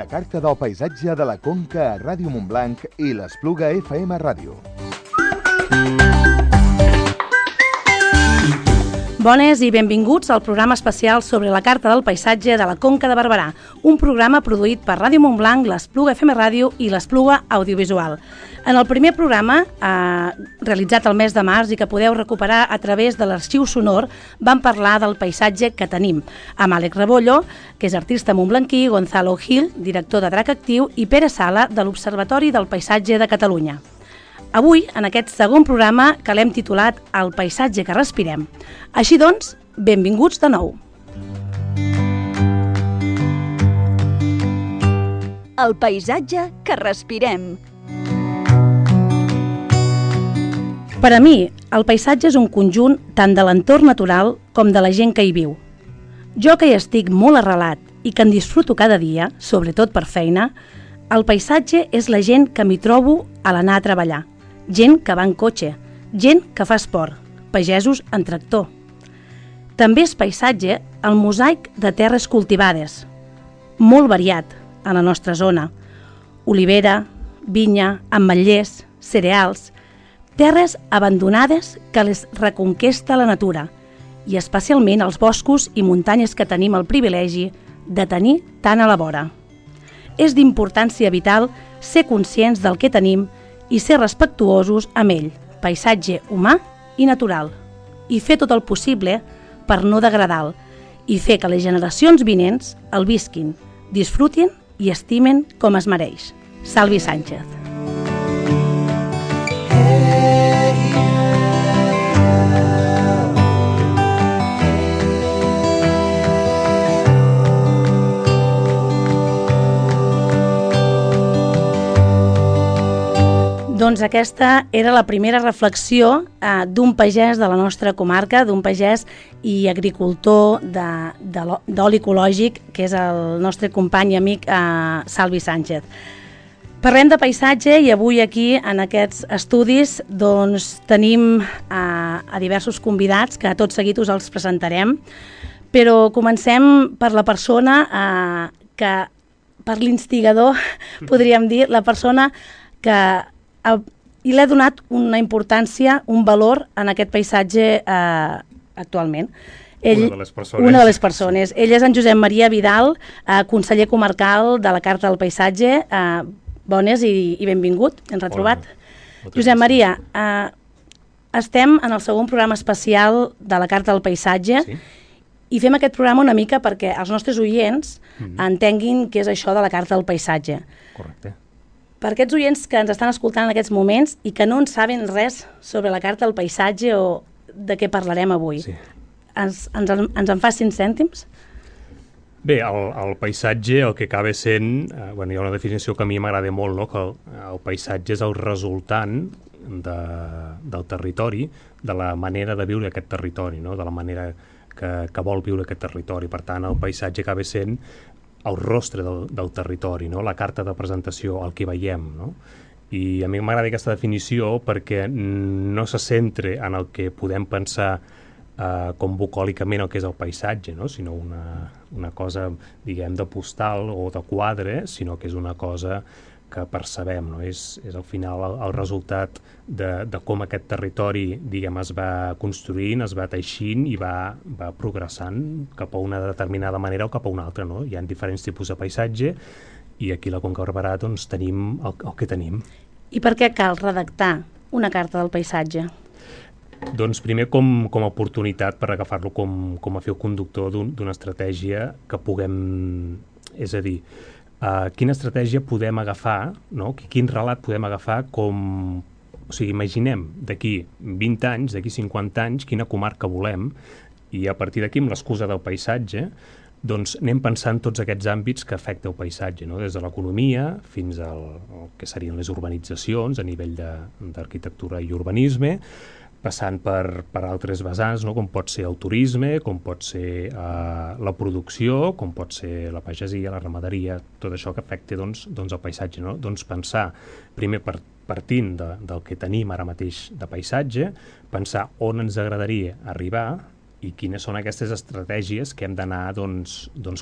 La carta del paisatge de la Conca a Ràdio Montblanc i l'Espluga FM Ràdio. Bones i benvinguts al programa especial sobre la Carta del Paisatge de la Conca de Barberà, un programa produït per Ràdio Montblanc, l'Espluga FM Ràdio i l'Espluga Audiovisual. En el primer programa, realitzat el mes de març i que podeu recuperar a través de l'arxiu sonor, vam parlar del paisatge que tenim, amb Àlex Rebollo, que és artista montblanquí, Gonzalo Gil, director de Drac Actiu, i Pere Sala, de l'Observatori del Paisatge de Catalunya. Avui, en aquest segon programa, que l'hem titulat El paisatge que respirem. Així doncs, benvinguts de nou. El paisatge que respirem. Per a mi, el paisatge és un conjunt tant de l'entorn natural com de la gent que hi viu. Jo que hi estic molt arrelat i que en disfruto cada dia, sobretot per feina, el paisatge és la gent que m'hi trobo a l'anar a treballar. Gent que va en cotxe, gent que fa esport, pagesos en tractor. També és paisatge el mosaic de terres cultivades, molt variat a la nostra zona. Olivera, vinya, ametllers, cereals, terres abandonades que les reconquesta la natura i especialment els boscos i muntanyes que tenim el privilegi de tenir tan a la vora. És d'importància vital ser conscients del que tenim i ser respectuosos amb ell, paisatge humà i natural, i fer tot el possible per no degradar-lo, i fer que les generacions vinents el visquin, disfrutin i estimen com es mereix. Salvi Sánchez. Doncs aquesta era la primera reflexió d'un pagès de la nostra comarca, d'un pagès i agricultor d'oli ecològic, que és el nostre company i amic Salvi Sánchez. Parlem de paisatge i avui aquí, en aquests estudis, doncs, tenim a diversos convidats, que tot seguit us els presentarem, però comencem per la persona per l'instigador, podríem dir, la persona que i l'he donat una importància, un valor en aquest paisatge actualment. Una de les persones. Ell és en Josep Maria Vidal, conseller comarcal de la Carta del Paisatge. Bones i benvingut, ens ha trobat. Josep Maria, estem en el segon programa especial de la Carta del Paisatge i fem aquest programa una mica perquè els nostres oients entenguin què és això de la Carta del Paisatge. Correcte. Per aquests oients que ens estan escoltant en aquests moments i que no en saben res sobre la Carta del Paisatge o de què parlarem avui, ens en fas 5 cèntims? Bé, el paisatge el que acaba sent, hi ha una definició que a mi m'agrada molt, no? Que el paisatge és el resultant del territori, de la manera de viure aquest territori, no? De la manera que vol viure aquest territori. Per tant, el paisatge acaba sent el rostre del territori, no? La carta de presentació, el que veiem, no? I a mi m'agrada aquesta definició perquè no se centra en el que podem pensar com bucòlicament el que és el paisatge, no? Sinó una cosa, diguem, de postal o de quadre, sinó que és una cosa que percebem, no? És al final el resultat de com aquest territori, diguem, es va construint, es va teixint i va progressant cap a una determinada manera o cap a una altra, no? Hi ha diferents tipus de paisatge i aquí a la Conca de Barberà doncs tenim el que tenim. I per què cal redactar una carta del paisatge? Doncs primer com a oportunitat per agafar-lo com a fil conductor d'una estratègia que puguem, és a dir, quina estratègia podem agafar, no? Quin relat podem agafar com... O sigui, imaginem d'aquí 20 anys, d'aquí 50 anys, quina comarca volem i a partir d'aquí, amb l'excusa del paisatge, doncs anem pensant tots aquests àmbits que afecta el paisatge, no? Des de l'economia fins al que serien les urbanitzacions a nivell d'arquitectura i urbanisme, passant per altres vessants, no? Com pot ser el turisme, com pot ser la producció, com pot ser la pagesia, la ramaderia, tot això que afecta doncs, el paisatge, no? Doncs pensar, primer partint del que tenim ara mateix de paisatge, pensar on ens agradaria arribar i quines són aquestes estratègies que hem d'anar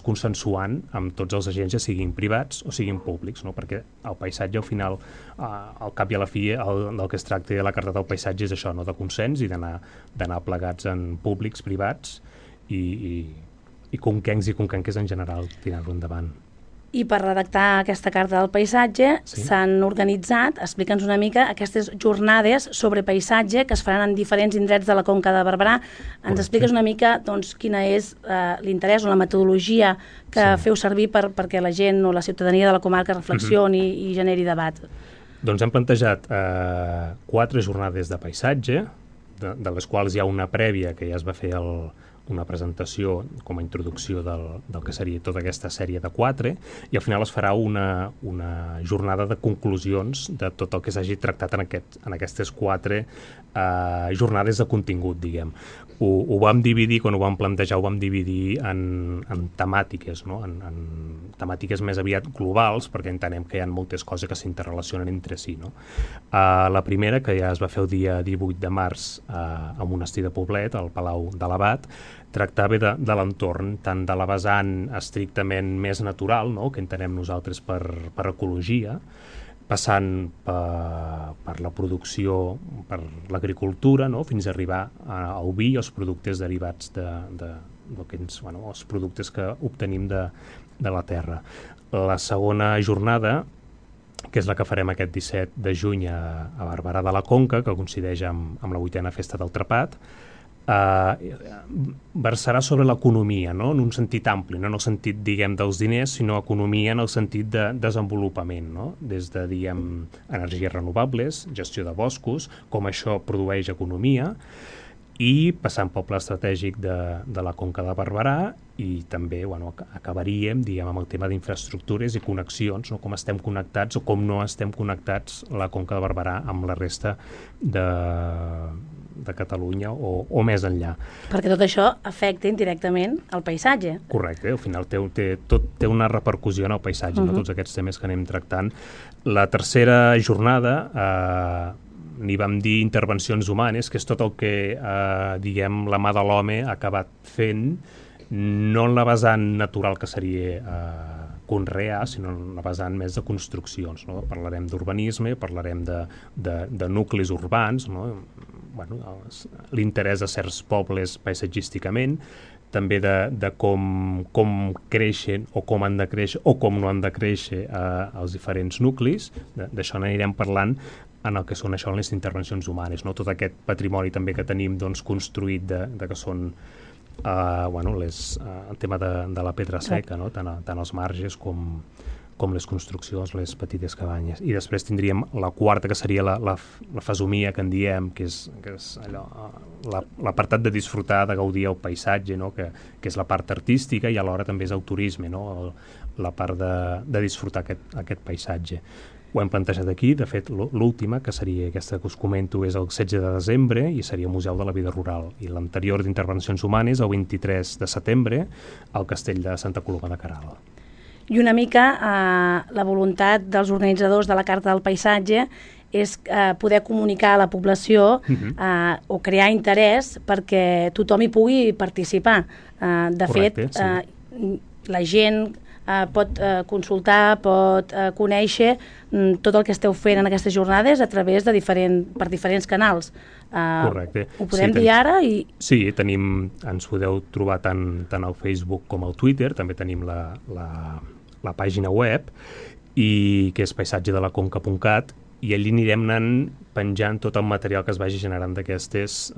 consensuant amb tots els agents, ja siguin privats o siguin públics, no? Perquè el paisatge, al final, al cap i a la fi, del que es tracta de la Carta del Paisatge és això, no? De consens i d'anar plegats en públics, privats i conquencs i conquenques en general, tirar-lo endavant. I per redactar aquesta Carta del Paisatge s'han organitzat, explica'ns una mica, aquestes jornades sobre paisatge que es faran en diferents indrets de la Conca de Barberà. Ens expliques una mica quina és l'interès o la metodologia que feu servir perquè la gent o la ciutadania de la comarca reflexioni i generi debat? Doncs hem plantejat 4 jornades de paisatge, de les quals hi ha una prèvia que ja es va fer una presentació com a introducció del que seria tota aquesta sèrie de 4, i al final es farà una jornada de conclusions de tot el que s'hagi tractat en aquestes 4 jornades de contingut, diguem. Ho vam dividir, quan ho vam plantejar, ho vam dividir en temàtiques, no? En temàtiques més aviat globals, perquè entenem que hi ha moltes coses que s'interrelacionen entre si, no? La primera, que ja es va fer el dia 18 de març al monestir de Poblet, al Palau de l'Abat, tractava de l'entorn, tant de la vessant estrictament més natural, no? Que entenem nosaltres per ecologia, passant per la producció, per l'agricultura, no? Fins a arribar al vi i els productes derivats els productes que obtenim de la terra. La segona jornada, que és la que farem aquest 17 de juny a Barberà de la Conca, que coincideix amb la 8a Festa del Trepat, versarà sobre l'economia, no? En un sentit ampli, no en el sentit, diguem, dels diners, sinó economia en el sentit de desenvolupament, no? Des de, diguem, energies renovables, gestió de boscos, com això produeix economia, i passant pel pla estratègic de la Conca de Barberà, i també acabaríem, diguem, amb el tema d'infraestructures i connexions, no? Com estem connectats o com no estem connectats la Conca de Barberà amb la resta de Catalunya o més enllà. Perquè tot això afecta indirectament el paisatge. Correcte, al final tot té una repercussió en el paisatge, no? Tots aquests temes que anem tractant. La tercera jornada n'hi vam dir intervencions humanes, que és tot el que, diguem, la mà de l'home ha acabat fent, no en la vessant natural que seria conrear, sinó en la vessant més de construccions, no? Parlarem d'urbanisme, parlarem de nuclis urbans, no? L'interès de certs pobles paisatgísticament, també de com creixen o com han de créixer o com no han de créixer els diferents nuclis. D'això n'anirem parlant en el que són això, les intervencions humanes, no? Tot aquest patrimoni també que tenim construït de que són el tema de la pedra seca, no? Tant els marges com les construccions, les petites cabanyes. I després tindríem la quarta, que seria la fesomia, que en diem, que és allò, l'apartat de disfrutar, de gaudir el paisatge, no? Que és la part artística, i alhora també és el turisme, no? La part de disfrutar aquest paisatge. Ho hem plantejat aquí. De fet, l'última, que seria aquesta que us comento, és el 16 de desembre i seria el Museu de la Vida Rural. I l'anterior d'intervencions humanes, el 23 de setembre, al Castell de Santa Coloma de Queralt. I una mica la voluntat dels organitzadors de la Carta del Paisatge és poder comunicar a la població o crear interès perquè tothom hi pugui participar. Correcte, fet, la gent pot consultar, pot conèixer tot el que esteu fent en aquestes jornades a través de per diferents canals. Correcte. Ho podem dir ara? Sí, ens podeu trobar tant al Facebook com al Twitter, també tenim la pàgina web, que és paisatgedelaconca.cat, i allí anirem anant penjant tot el material que es vagi generant d'aquestes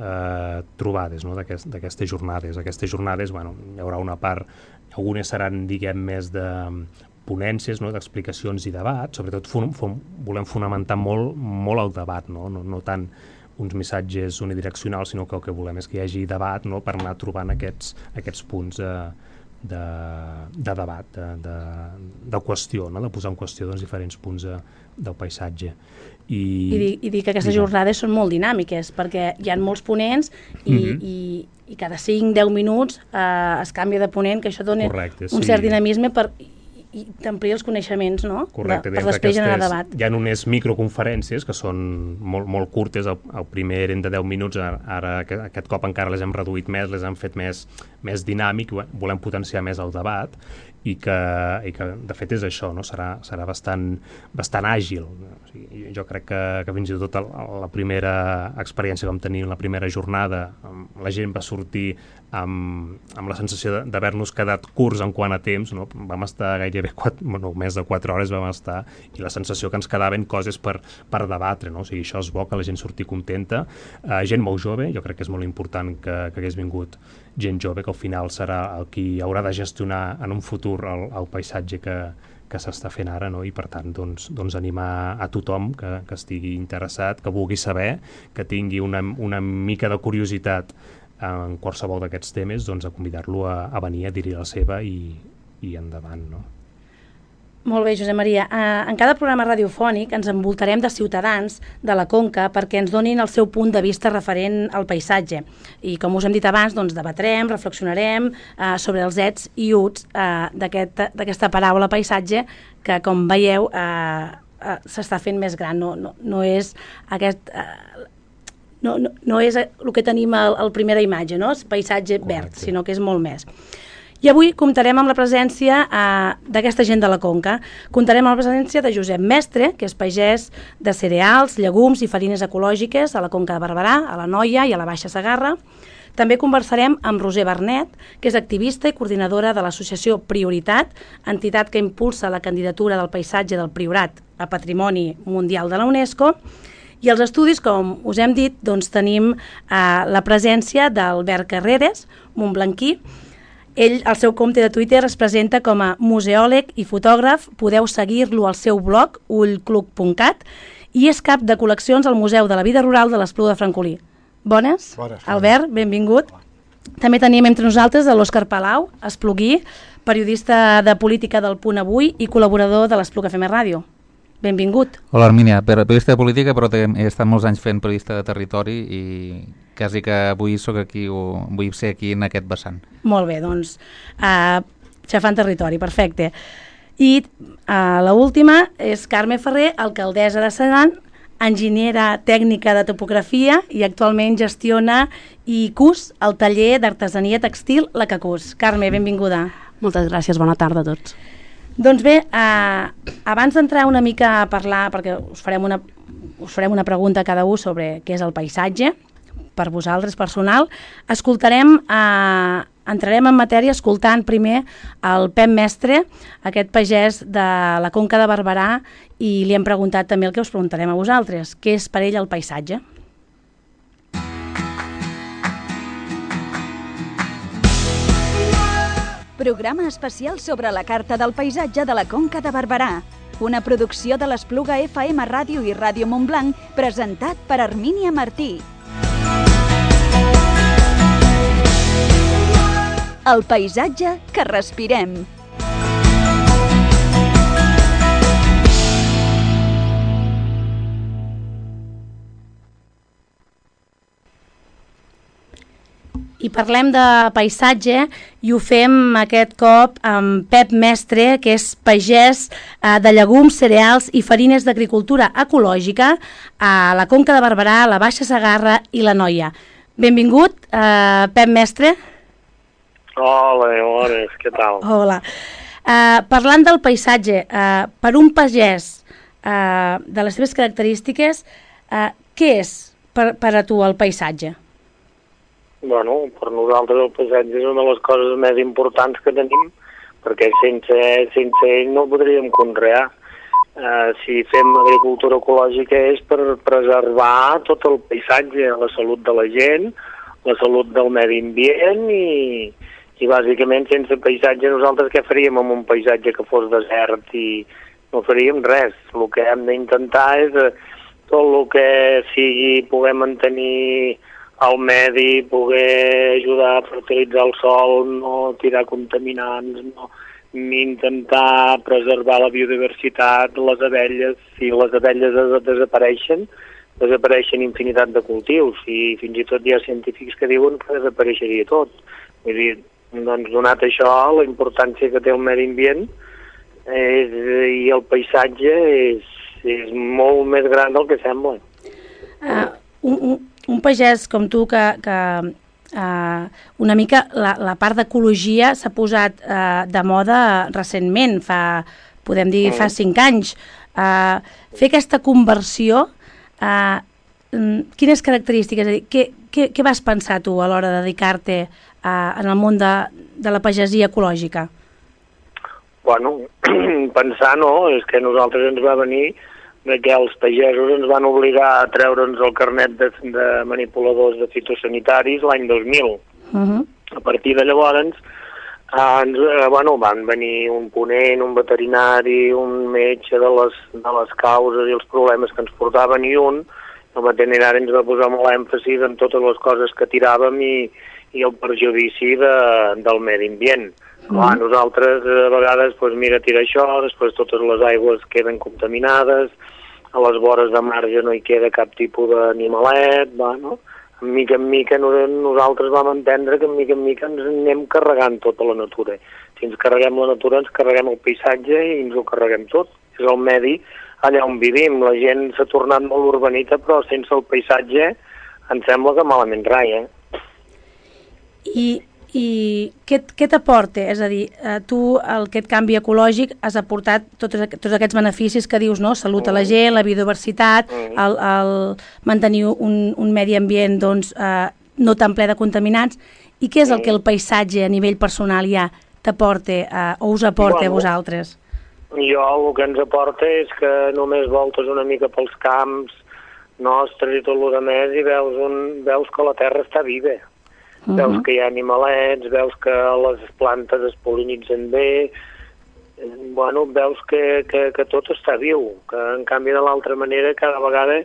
trobades, no? D'aquestes jornades. Aquestes jornades, hi haurà una part, algunes seran, diguem, més de ponències, no? D'explicacions i debat. Sobretot volem fonamentar molt el debat, no tant uns missatges unidireccionals, sinó que el que volem és que hi hagi debat, no? Per anar trobant aquests punts de debat, de qüestió, no? De posar en qüestió diferents punts del paisatge. I dir que aquestes jornades són molt dinàmiques, perquè hi ha molts ponents i cada 5-10 minuts es canvia de ponent, que això dona un cert dinamisme i t'ampliï els coneixements, no? Correcte, per després generar debat. Hi ha unes microconferències que són molt curtes, el primer eren de 10 minuts, ara aquest cop encara les hem reduït més, les hem fet més dinàmic, volem potenciar més el debat, i que de fet és això, no? Serà bastant àgil. O sigui, jo crec que fins i tot la primera experiència que vam tenir en la primera jornada, la gent va sortir amb la sensació d'haver-nos quedat curts en quant a temps, no? Vam estar gairebé més de 4 hores vam estar, i la sensació que ens quedaven coses per debatre, no? O sigui, això és bo, que la gent surti contenta, gent molt jove, jo crec que és molt important que hagués vingut gent jove, que al final serà el qui haurà de gestionar en un futur el paisatge que s'està fent ara, no? I per tant doncs animar a tothom que estigui interessat, que vulgui saber, que tingui una mica de curiositat en qualsevol d'aquests temes, doncs a convidar-lo a venir a dir-hi la seva i endavant, no? Molt bé, Josep Maria. En cada programa radiofònic ens envoltarem de ciutadans de la Conca perquè ens donin el seu punt de vista referent al paisatge. I com us hem dit abans, doncs debatrem, reflexionarem sobre els ets i uts d'aquesta paraula paisatge que, com veieu, s'està fent més gran. No és aquest... No és el que tenim a primera imatge, no? És paisatge verd, sinó que és molt més. I avui comptarem amb la presència d'aquesta gent de la Conca. Comptarem amb la presència de Josep Mestre, que és pagès de cereals, llegums i farines ecològiques a la Conca de Barberà, a la Noia i a la Baixa Segarra. També conversarem amb Roser Bernet, que és activista i coordinadora de l'associació Prioritat, entitat que impulsa la candidatura del paisatge del Priorat a Patrimoni Mundial de la UNESCO. I als estudis, com us hem dit, doncs tenim la presència d'Albert Carreras, montblanquí. Ell, al seu compte de Twitter, es presenta com a museòleg i fotògraf. Podeu seguir-lo al seu blog, ullclub.cat, i és cap de col·leccions al Museu de la Vida Rural de l'Espluga de Francolí. Bones? Bones. Albert, benvingut. També tenim entre nosaltres l'Òscar Palau, espluguí, periodista de política del Punt Avui i col·laborador de l'Espluga FM Ràdio. Benvingut. Hola, Armínia. Periodista de política, però he estat molts anys fent periodista de territori i quasi que avui vull ser aquí en aquest vessant. Molt bé, doncs, xafant territori, perfecte. I l'última és Carme Ferrer, alcaldessa de Senan, enginyera tècnica de topografia i actualment gestiona i cus el taller d'artesania textil La Cacús. Carme, benvinguda. Moltes gràcies, bona tarda a tots. Doncs bé, abans d'entrar una mica a parlar, perquè us farem una pregunta a cada un sobre què és el paisatge, per vosaltres personal, entrarem en matèria escoltant primer el Pep Mestre, aquest pagès de la Conca de Barberà, i li hem preguntat també el que us preguntarem a vosaltres, què és per ell el paisatge? Programa especial sobre la Carta del Paisatge de la Conca de Barberà. Una producció de l'Espluga FM Ràdio i Ràdio Montblanc, presentat per Armínia Martí. El paisatge que respirem. I parlem de paisatge i ho fem aquest cop amb Pep Mestre, que és pagès de llegums, cereals i farines d'agricultura ecològica a la Conca de Barberà, la Baixa Segarra i la Noia. Benvingut, Pep Mestre. Hola, bones, què tal? Hola. Parlant del paisatge, per un pagès de les seves característiques, què és per a tu el paisatge? Bueno, per nosaltres el paisatge és una de les coses més importants que tenim, perquè sense ell no podríem conrear. Si fem agricultura ecològica és per preservar tot el paisatge, la salut de la gent, la salut del medi ambient i bàsicament sense paisatge nosaltres què faríem amb un paisatge que fos desert i no faríem res. El que hem d'intentar és tot el que sigui poder mantenir el medi, poder ajudar a fertilitzar el sòl, no tirar contaminants, no intentar preservar la biodiversitat, les abelles. Si les abelles desapareixen infinitat de cultius i fins i tot hi ha científics que diuen que desapareixeria tot. Vull dir, doncs donat això, la importància que té el medi ambient, i el paisatge és molt més gran del que sembla. Un pagès com tu que una mica la part d'ecologia s'ha posat de moda recentment, podem dir fa 5 anys. Fer aquesta conversió, quines característiques, és a dir, què vas pensar tu a l'hora de dedicar-te en el món de la pagesia ecològica? Bueno, pensar no, és que a nosaltres ens va venir que els pagesos ens van obligar a treure'ns el carnet de manipuladors de fitosanitaris l'any 2000. A partir de llavors van venir un ponent, un veterinari, un metge de les causes i els problemes que ens portaven, i el veterinari ens va posar molt èmfasi en totes les coses que tiràvem i el perjudici del medi ambient. Clar, nosaltres a vegades, tira això, després totes les aigües queden contaminades, a les vores de marge no hi queda cap tipus d'animalet, En mica en mica nosaltres vam entendre que en mica ens anem carregant tota la natura. Si ens carreguem la natura, ens carreguem el paisatge i ens ho carreguem tot. És el medi allà on vivim. La gent s'ha tornat molt urbanita, però sense el paisatge em sembla que malament rai, I què t'aporta? És a dir, tu, aquest canvi ecològic, has aportat tots aquests beneficis que dius, no? Salut a la gent, la biodiversitat, el mantenir un medi ambient no tan ple de contaminats. I què és el que el paisatge a nivell personal ja t'aporta o us aporta a vosaltres? Jo el que ens aporta és que només voltes una mica pels camps nostres i tot el que més i veus que la terra està viva. Veus que hi ha animalets, veus que les plantes es pol·linitzen bé, veus que tot està viu, que en canvi de l'altra manera cada vegada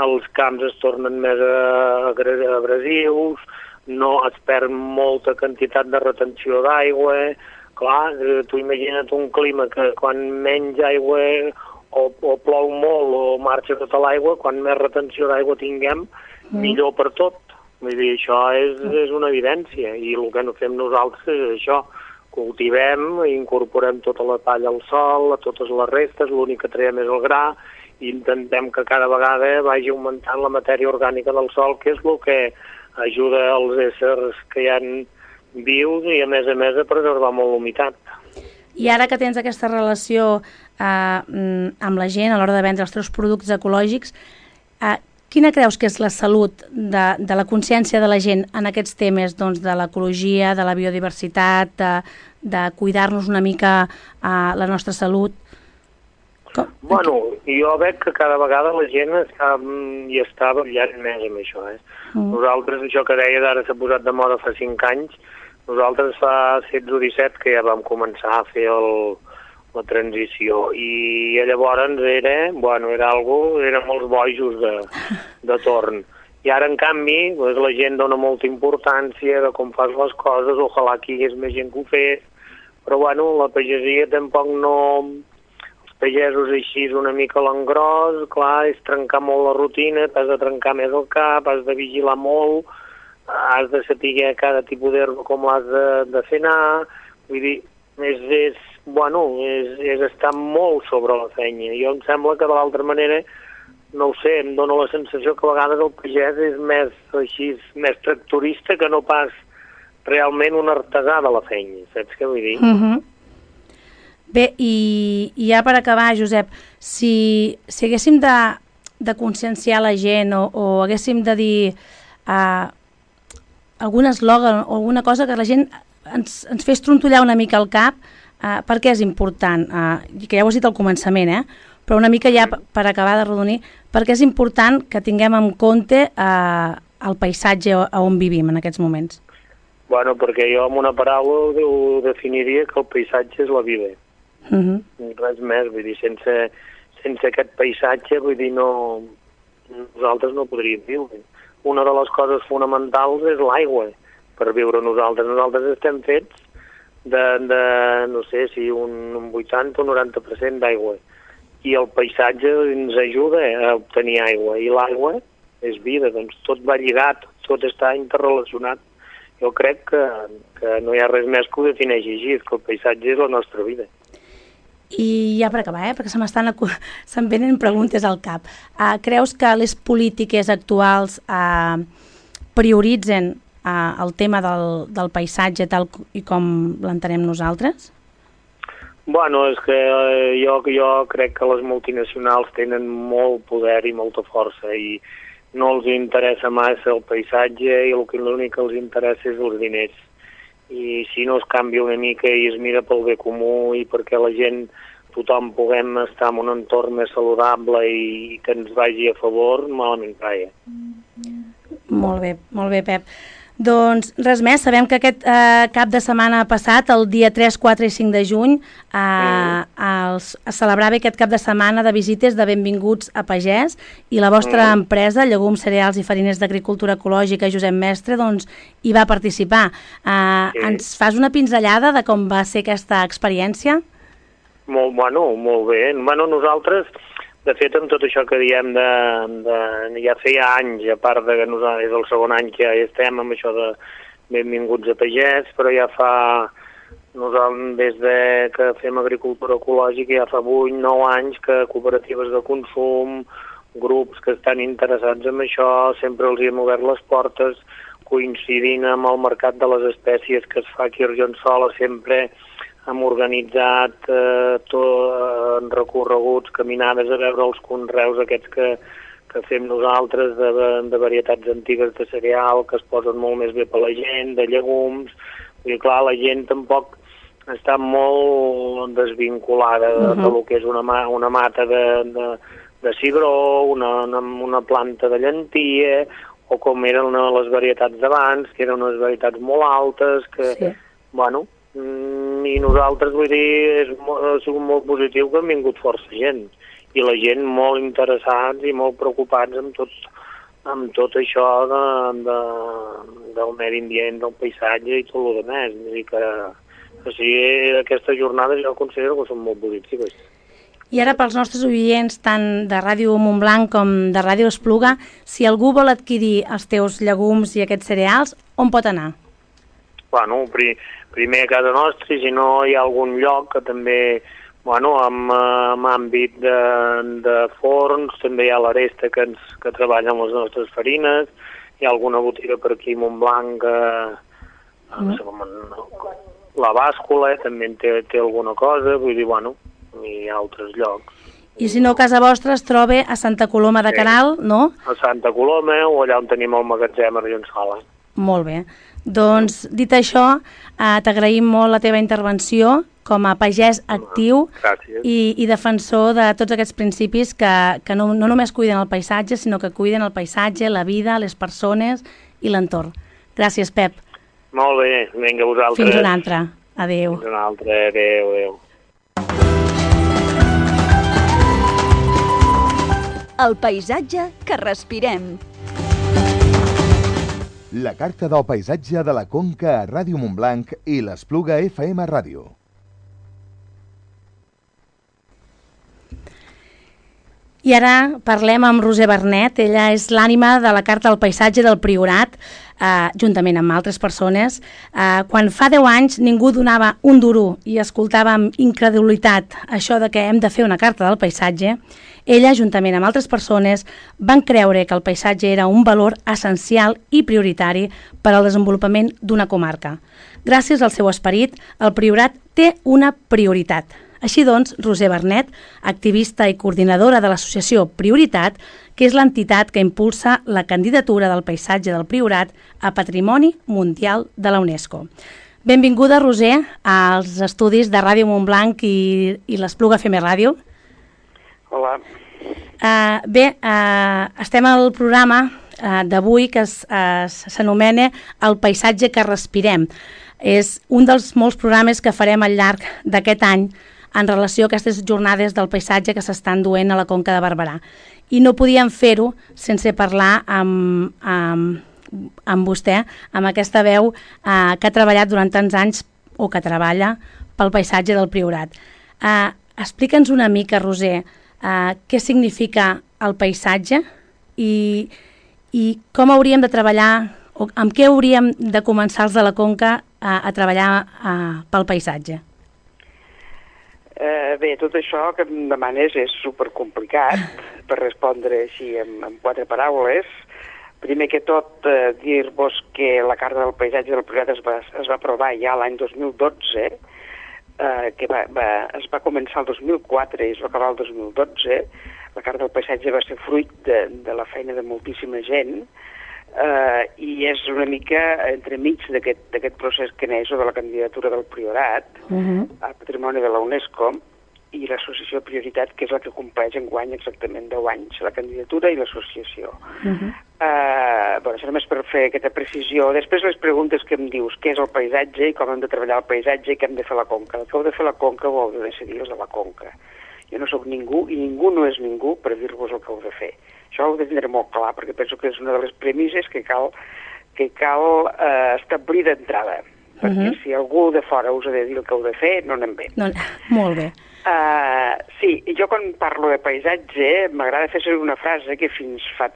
els camps es tornen més abrasius, no es perd molta quantitat de retenció d'aigua. Clar, tu imagina't un clima que quan menys aigua o plou molt o marxa tota l'aigua, quan més retenció d'aigua tinguem, millor per tot. Vull dir, això és una evidència, i el que no fem nosaltres és això, cultivem, incorporem tota la palla al sol, a totes les restes, l'únic que traiem és el gra, i intentem que cada vegada vagi augmentant la matèria orgànica del sol, que és el que ajuda els éssers que hi ha vius i a més a preservar molt l'humitat. I ara que tens aquesta relació amb la gent a l'hora de vendre els teus productes ecològics, quina creus que és la salut de la consciència de la gent en aquests temes de l'ecologia, de la biodiversitat, de cuidar-nos una mica la nostra salut? Jo veig que cada vegada la gent està ballant més amb això. Nosaltres, això que deies ara s'ha posat de moda fa 5 anys, nosaltres fa 16 o 17 que ja vam començar a fer la transició, i llavors eren molts bojos de torn. I ara, en canvi, la gent dona molta importància de com fas les coses, ojalà que hi hagués més gent que ho fes, però la pagesia tampoc no... Els pagesos així una mica a l'engròs, clar, és trencar molt la rutina, t'has de trencar més el cap, has de vigilar molt, has de saber cada tipus d'herba com l'has de fer anar, vull dir, és estar molt sobre la feina. Jo em sembla que de l'altra manera, no ho sé, em dóna la sensació que a vegades el pagès és més tractorista que no pas realment un artesà de la feina, saps què vull dir? Bé, i ja per acabar, Josep, si haguéssim de conscienciar la gent o haguéssim de dir algun eslògan o alguna cosa que la gent ens fes trontollar una mica el cap, per què és important, que ja ho has dit al començament, però una mica ja per acabar de rodonir, per què és important que tinguem en compte el paisatge on vivim en aquests moments? Perquè jo amb una paraula ho definiria que el paisatge és la vida. Res més, vull dir, sense aquest paisatge, vull dir, nosaltres no podríem viure. Una de les coses fonamentals és l'aigua per viure nosaltres. Nosaltres estem fets no sé si un 80 o 90% d'aigua, i el paisatge ens ajuda a obtenir aigua, i l'aigua és vida, doncs tot va lligat, tot està interrelacionat. Jo crec que no hi ha res més que ho defineixi així, que el paisatge és la nostra vida. I ja per acabar, perquè se'm venen preguntes al cap. Creus que les polítiques actuals prioritzen el tema del paisatge tal i com l'entenem nosaltres? Bueno, és que jo crec que les multinacionals tenen molt poder i molta força i no els interessa massa el paisatge i l'únic que els interessa és els diners. I si no es canvia una mica i es mira pel bé comú i perquè la gent, tothom puguem estar en un entorn més saludable i que ens vagi a favor, malament caia. Molt bé, Pep. Doncs res més, sabem que aquest cap de setmana passat, el dia 3, 4 i 5 de juny, es celebrava aquest cap de setmana de visites de benvinguts a pagès i la vostra empresa, Llegums, Cereals i Farines d'Agricultura Ecològica Josep Mestre, doncs hi va participar. Ens fas una pinzellada de com va ser aquesta experiència? Molt bé. Nosaltres, de fet, amb tot això que diem ja feia anys, a part de que nosaltres és el segon any que ja estem amb això de benvinguts a pagès, però ja fa, nosaltres des de que fem agricultura ecològica, ja fa 8-9 anys que cooperatives de consum, grups que estan interessats en això, sempre els hi hem obert les portes, coincidint amb el mercat de les espècies que es fa aquí a Argençola, sempre hem organitzat recorreguts, caminades a veure els conreus aquests que fem nosaltres de varietats antigues de cereal que es posen molt més bé per la gent, de llegums. I clar, la gent tampoc està molt desvinculada del que és una mata de cigró, una planta de llentia, o com eren les varietats d'abans, que eren unes varietats molt altes, que, i nosaltres, vull dir, ha sigut molt positiu que han vingut força gent i la gent molt interessats i molt preocupats amb tot això del medi ambient, del paisatge i tot el que més. Vull dir que aquestes jornades jo considero que són molt positives. I ara pels nostres oients, tant de Ràdio Montblanc com de Ràdio Espluga, si algú vol adquirir els teus llegums i aquests cereals, on pot anar? Primer a casa nostra, i si no hi ha algun lloc que també, amb àmbit de forns, també hi ha l'Aresta que treballa amb les nostres farines, hi ha alguna botiga per aquí a Montblanc, la Bàscula també té alguna cosa, vull dir, hi ha altres llocs. I si no, casa vostra es troba a Santa Coloma de Queralt, no? A Santa Coloma o allà on tenim el magatzem a Argençola. Molt bé. Doncs, dit això, t'agraïm molt la teva intervenció com a pagès actiu i defensor de tots aquests principis que no només cuiden el paisatge, sinó que cuiden el paisatge, la vida, les persones i l'entorn. Gràcies, Pep. Molt bé, vinga, vosaltres. Fins una altra. Adéu. Fins una altra, adéu. El paisatge que respirem. La carta del paisatge de la Conca a Ràdio Montblanc i l'Espluga FM Ràdio. I ara parlem amb Roser Bernet. Ella és l'ànima de la Carta del Paisatge del Priorat, juntament amb altres persones. Quan fa 10 anys ningú donava un duro i escoltava amb incredulitat això de que hem de fer una Carta del Paisatge, ella, juntament amb altres persones, van creure que el paisatge era un valor essencial i prioritari per al desenvolupament d'una comarca. Gràcies al seu esperit, el Priorat té una prioritat. Així doncs, Roser Bernet, activista i coordinadora de l'associació Prioritat, que és l'entitat que impulsa la candidatura del paisatge del Priorat a Patrimoni Mundial de la UNESCO. Benvinguda, Roser, als estudis de Ràdio Montblanc i l'Espluga FM Ràdio. Hola. Estem al programa d'avui que s'anomena El paisatge que respirem. És un dels molts programes que farem al llarg d'aquest any en relació a aquestes jornades del paisatge que s'estan duent a la Conca de Barberà. I no podíem fer-ho sense parlar amb vostè, amb aquesta veu que ha treballat durant tants anys o que treballa pel paisatge del Priorat. Explica'ns una mica, Roser, què significa el paisatge i com hauríem de treballar o amb què hauríem de començar els de la Conca a treballar pel paisatge. Bé, tot això que em demanes és supercomplicat per respondre així en 4 paraules. Primer que tot, dir-vos que la Carta del Paisatge del Priorat es va aprovar ja l'any 2012, que es va començar el 2004 i es va acabar el 2012. La Carta del Paisatge va ser fruit de la feina de moltíssima gent, i és una mica entremig d'aquest procés que neix de la candidatura del Priorat al Patrimoni de la UNESCO i l'associació Prioritat, que és la que compleix enguany exactament 10 anys, la candidatura i l'associació. Això només per fer aquesta precisió. Després les preguntes que em dius, què és el paisatge i com hem de treballar el paisatge i què hem de fer a la Conca. El que heu de fer a la Conca ho heu de decidir els de la Conca. Jo no sóc ningú i ningú no és ningú per dir-vos el que heu de fer. Això ho he de tindre molt clar, perquè penso que és una de les premisses que cal establir d'entrada. Perquè si algú de fora us ha de dir el que heu de fer, no anem bé. No, molt bé. Sí, jo quan parlo de paisatge m'agrada fer servir una frase que fins fa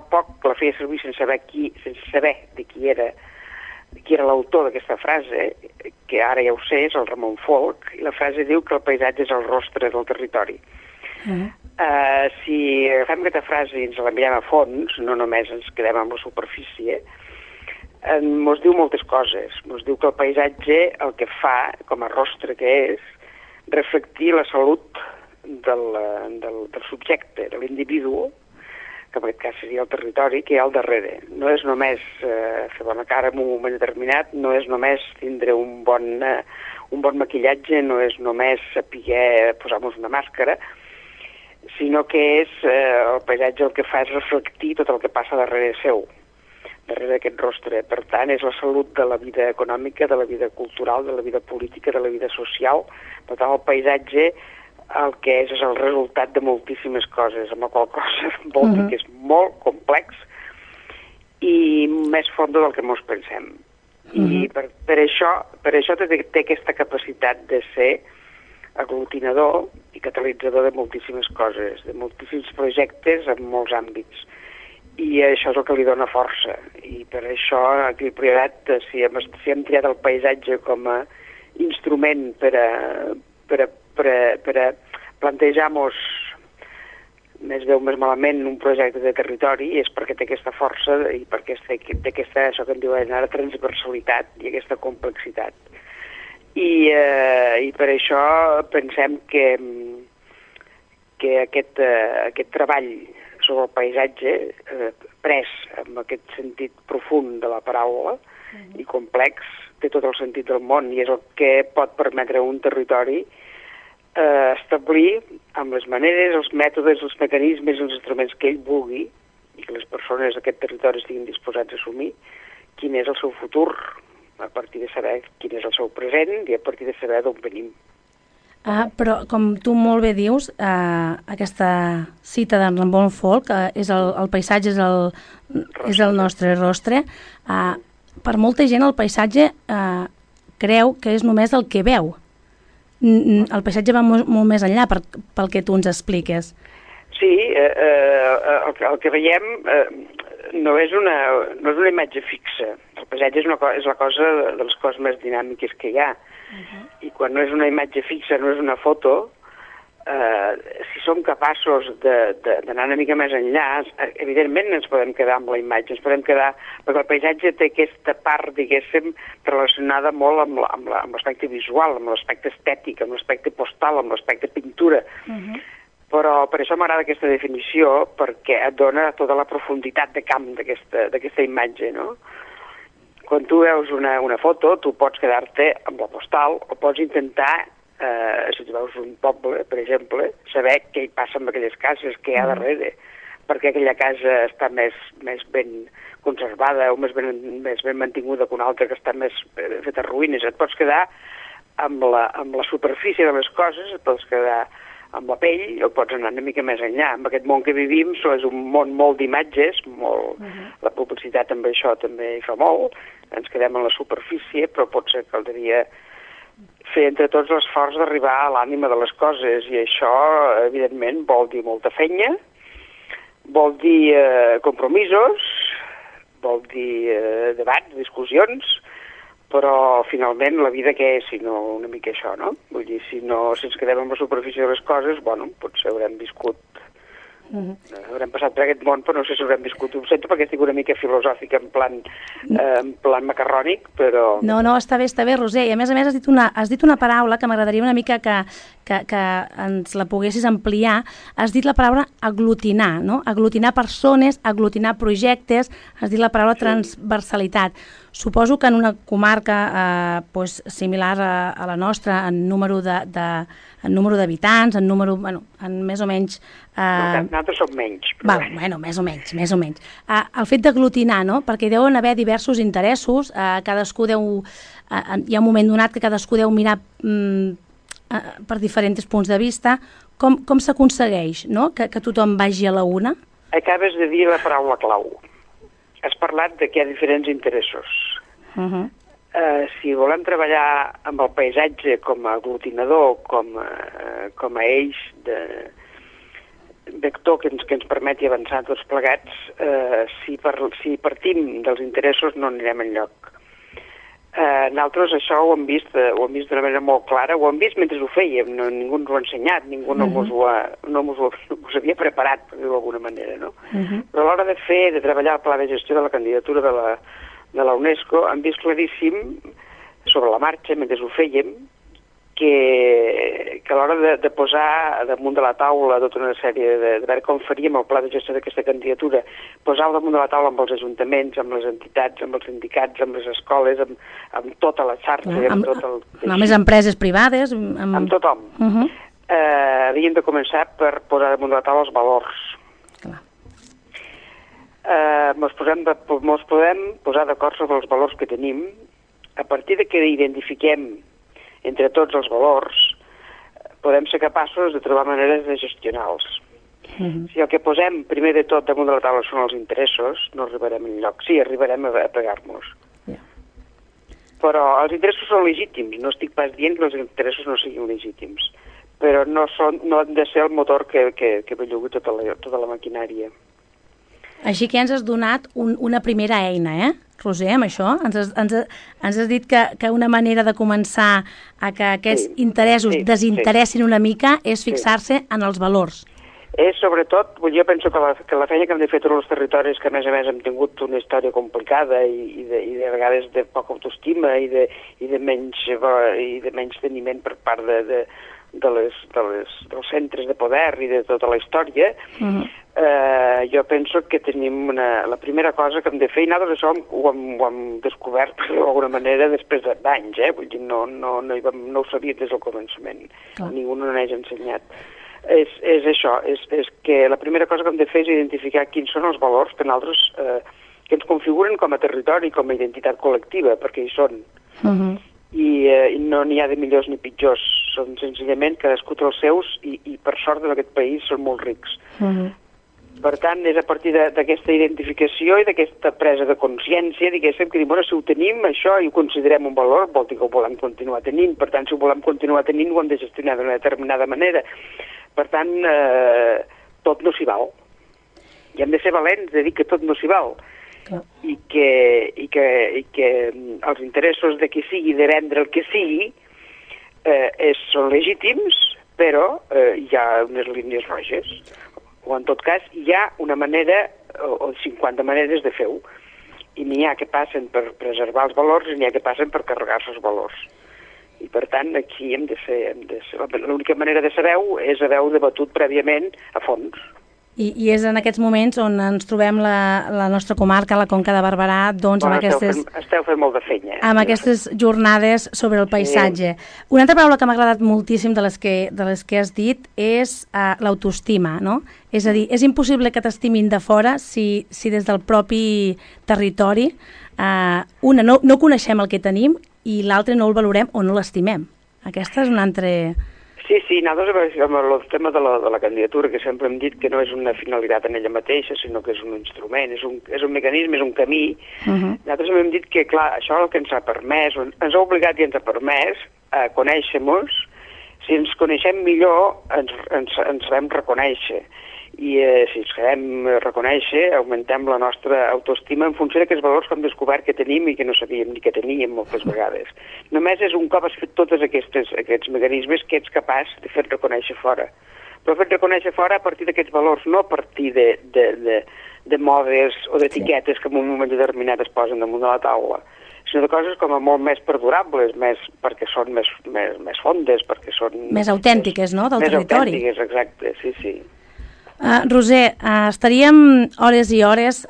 poc la feia servir sense saber de qui era l'autor d'aquesta frase, que ara ja ho sé, és el Ramon Folch, i la frase diu que el paisatge és el rostre del territori. Si agafem aquesta frase i ens la mirem a fons, no només ens quedem amb la superfície, mos diu moltes coses. Mos diu que el paisatge el que fa, com a rostre que és, reflectir la salut del subjecte, de l'individu, que en aquest cas seria el territori, que hi ha al darrere. No és només fer bona cara en un moment determinat, no és només tindre un bon maquillatge, no és només saber posar-nos una màscara, sinó que és el paisatge el que fa és reflectir tot el que passa darrere seu, darrere d'aquest rostre. Per tant, és la salut de la vida econòmica, de la vida cultural, de la vida política, de la vida social. Per tant, el paisatge el que és el resultat de moltíssimes coses, amb la qual cosa vol dir que és molt complex i més fondo del que mos pensem. I per això té aquesta capacitat de ser aglutinador i catalitzador de moltíssimes coses, de moltíssims projectes en molts àmbits. I això és el que li dona força. I per això aquí al Priorat, si hem triat el paisatge com a instrument per a plantejar-nos més bé o més malament un projecte de territori, és perquè té aquesta força i perquè té aquesta, això que en diuen ara, transversalitat i aquesta complexitat. I per això pensem que aquest treball sobre el paisatge, pres amb aquest sentit profund de la paraula i complex, té tot el sentit del món i és el que pot permetre a un territori establir amb les maneres, els mètodes, els mecanismes, els instruments que ell vulgui i que les persones d'aquest territori estiguin disposats a assumir quin és el seu futur, a partir de saber quin és el seu present i a partir de saber d'on venim. Però, com tu molt bé dius, aquesta cita d'en Ramon Folch, el paisatge és el nostre rostre. Per molta gent el paisatge creu que és només el que veu. El paisatge va molt més enllà pel que tu ens expliques. Sí, el que veiem no és una imatge fixa. El paisatge és la cosa de les coses més dinàmiques que hi ha. I quan no és una imatge fixa, no és una foto, si som capaços d'anar una mica més enllà, evidentment ens podem quedar amb la imatge, ens podem quedar, perquè el paisatge té aquesta part, diguéssim, relacionada molt amb l'aspecte visual, amb l'aspecte estètic, amb l'aspecte postal, amb l'aspecte pintura. Però per això m'agrada aquesta definició, perquè et dona tota la profunditat de camp d'aquesta imatge, no? Quan tu veus una foto, tu pots quedar-te amb la postal o pots intentar, si tu veus un poble, per exemple, saber què hi passa amb aquelles cases, què hi ha darrere, perquè aquella casa està més ben conservada o més ben mantinguda que una altra que està més feta ruïnes. Et pots quedar amb la superfície de les coses, et pots quedar amb la pell o pots anar una mica més enllà. En aquest món que vivim és un món molt d'imatges, la publicitat amb això també hi fa molt, ens quedem en la superfície, però potser caldria fer entre tots l'esforç d'arribar a l'ànima de les coses i això, evidentment, vol dir molta feina, vol dir compromisos, vol dir debats, discussions, però finalment la vida què és, si no una mica això, no? Vull dir, si ens quedem amb la superfície de les coses, bueno, potser haurem viscut, haurem passat per aquest món, però no sé si haurem viscut. Ho sento perquè estic una mica filosòfica, en plan macarrònic, però... No, està bé, Roser. I a més has dit una paraula que m'agradaria una mica que ens la poguessis ampliar. Has dit la paraula aglutinar, no? Aglutinar persones, aglutinar projectes, has dit la paraula transversalitat. Suposo que en una comarca similar a la nostra, en número d'habitants, en número, en més o menys... Nosaltres som menys. Més o menys. El fet d'aglutinar, no? Perquè deuen haver diversos interessos, cadascú hi ha un moment donat que cadascú deu mirar per diferents punts de vista. Com s'aconsegueix, no? Que tothom vagi a la una? Acabes de dir la paraula clau. Has parlat que hi ha diferents interessos. Si volem treballar amb el paisatge com a aglutinador, com a eix de vector que ens permeti avançar tots plegats, si partim dels interessos no anirem enlloc. Nosaltres això ho hem vist d'una manera molt clara, ho hem vist mentre ho fèiem, ningú ens ho ha ensenyat, ningú no us havia preparat, per dir-ho d'alguna manera, no? Però a l'hora de treballar el pla de gestió de la candidatura de la UNESCO, hem vist claríssim, sobre la marxa, mentre ho fèiem, que a l'hora de posar damunt de la taula tota una sèrie de veure com faríem el pla de gestió d'aquesta candidatura, posar-ho damunt de la taula amb els ajuntaments, amb les entitats, amb els sindicats, amb les escoles, amb tota la xarxa, amb tot el... Amb les empreses privades... Amb tothom. Havíem de començar per posar damunt de la taula els valors. Mos podem posar d'acord sobre els valors que tenim. A partir de que identifiquem entre tots els valors, podem ser capaços de trobar maneres de gestionar-los. Si el que posem primer de tot damunt de la taula són els interessos, no arribarem enlloc. Sí, arribarem a pegar-nos. Però els interessos són legítims. No estic pas dient que els interessos no siguin legítims, però no han de ser el motor que bellugui tota la maquinària. Així que ens has donat una primera eina, Roser, amb això? Ens has dit que una manera de començar a que aquests interessos desinteressin una mica és fixar-se en els valors. És sobretot, jo penso que la feina que hem de fer tots els territoris, que a més hem tingut una història complicada i de vegades de poca autoestima i de menys teniment per part dels centres de poder i de tota la història, jo penso que tenim la primera cosa que hem de fer, i nosaltres això ho hem descobert d'alguna manera després d'anys, vull dir, no ho sabia des del començament, ningú no n'hagi ensenyat. És això, és que la primera cosa que hem de fer és identificar quins són els valors que nosaltres que ens configuren com a territori, com a identitat col·lectiva, perquè hi són. I no n'hi ha de millors ni pitjors, són senzillament cadascú té els seus i per sort en aquest país són molt rics. Per tant, és a partir d'aquesta identificació i d'aquesta presa de consciència, diguéssim, que bueno, si ho tenim, això, i ho considerem un valor, vol dir que ho volem continuar tenint. Per tant, si ho volem continuar tenint, ho hem de gestionar d'una determinada manera. Per tant, tot no s'hi val. I hem de ser valents de dir que tot no s'hi val. I que els interessos de qui sigui, de vendre el que sigui, són legítims, però hi ha unes línies roges. O en tot cas hi ha una manera o 50 maneres de fer-ho. I n'hi ha que passen per preservar els valors i n'hi ha que passen per carregar-se els valors. I per tant aquí hem de ser l'única manera de saber-ho és haver-ho debatut prèviament a fons. I és en aquests moments on ens trobem la nostra comarca, la Conca de Barberà, doncs amb aquestes... Esteu fent molt de feina. Amb aquestes jornades sobre el paisatge. Una altra paraula que m'ha agradat moltíssim de les que has dit és l'autoestima, no? És a dir, és impossible que t'estimin de fora si des del propi territori no coneixem el que tenim i l'altre no el valorem o no l'estimem. Aquesta és una altra... Sí, nosaltres amb el tema de la candidatura, que sempre hem dit que no és una finalitat en ella mateixa, sinó que és un instrument, és un mecanisme, és un camí. Nosaltres hem dit que, clar, això el que ens ha permès, ens ha obligat i ens ha permès a conèixer-nos. Si ens coneixem millor, ens sabem reconèixer. i si ens quedem reconèixer, augmentem la nostra autoestima en funció d'aquests valors que hem descobert que tenim i que no sabíem ni que teníem moltes vegades. Només és un cop has fet tots aquests mecanismes que ets capaç de fer reconèixer fora. Però fer reconèixer fora a partir d'aquests valors, no a partir de modes o d'etiquetes que en un moment determinat es posen damunt de la taula, sinó de coses com a molt més perdurables, perquè són més fondes, perquè són... Més autèntiques, no?, del territori. Més autèntiques, exacte, sí. Roser, estaríem hores i hores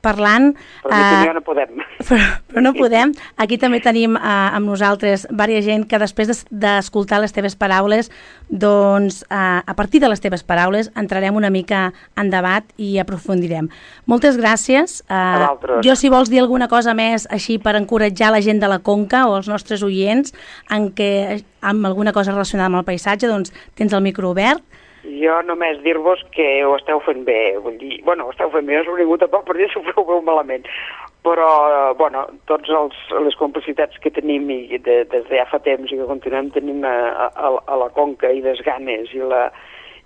parlant... Però no podem. Però no podem. Aquí també tenim amb nosaltres diversa gent que després d'escoltar les teves paraules, doncs a partir de les teves paraules entrarem una mica en debat i aprofundirem. Moltes gràcies. A vosaltres. Jo, si vols dir alguna cosa més així per encoratjar la gent de la Conca o els nostres oients amb alguna cosa relacionada amb el paisatge, doncs tens el micro obert. Jo només dir-vos que ho esteu fent bé, vull dir, ho esteu fent bé, no s'ho vingut tampoc per dir que ho feu malament, però, tots les complicitats que tenim i des de ja fa temps i que continuem tenint a la Conca i les ganes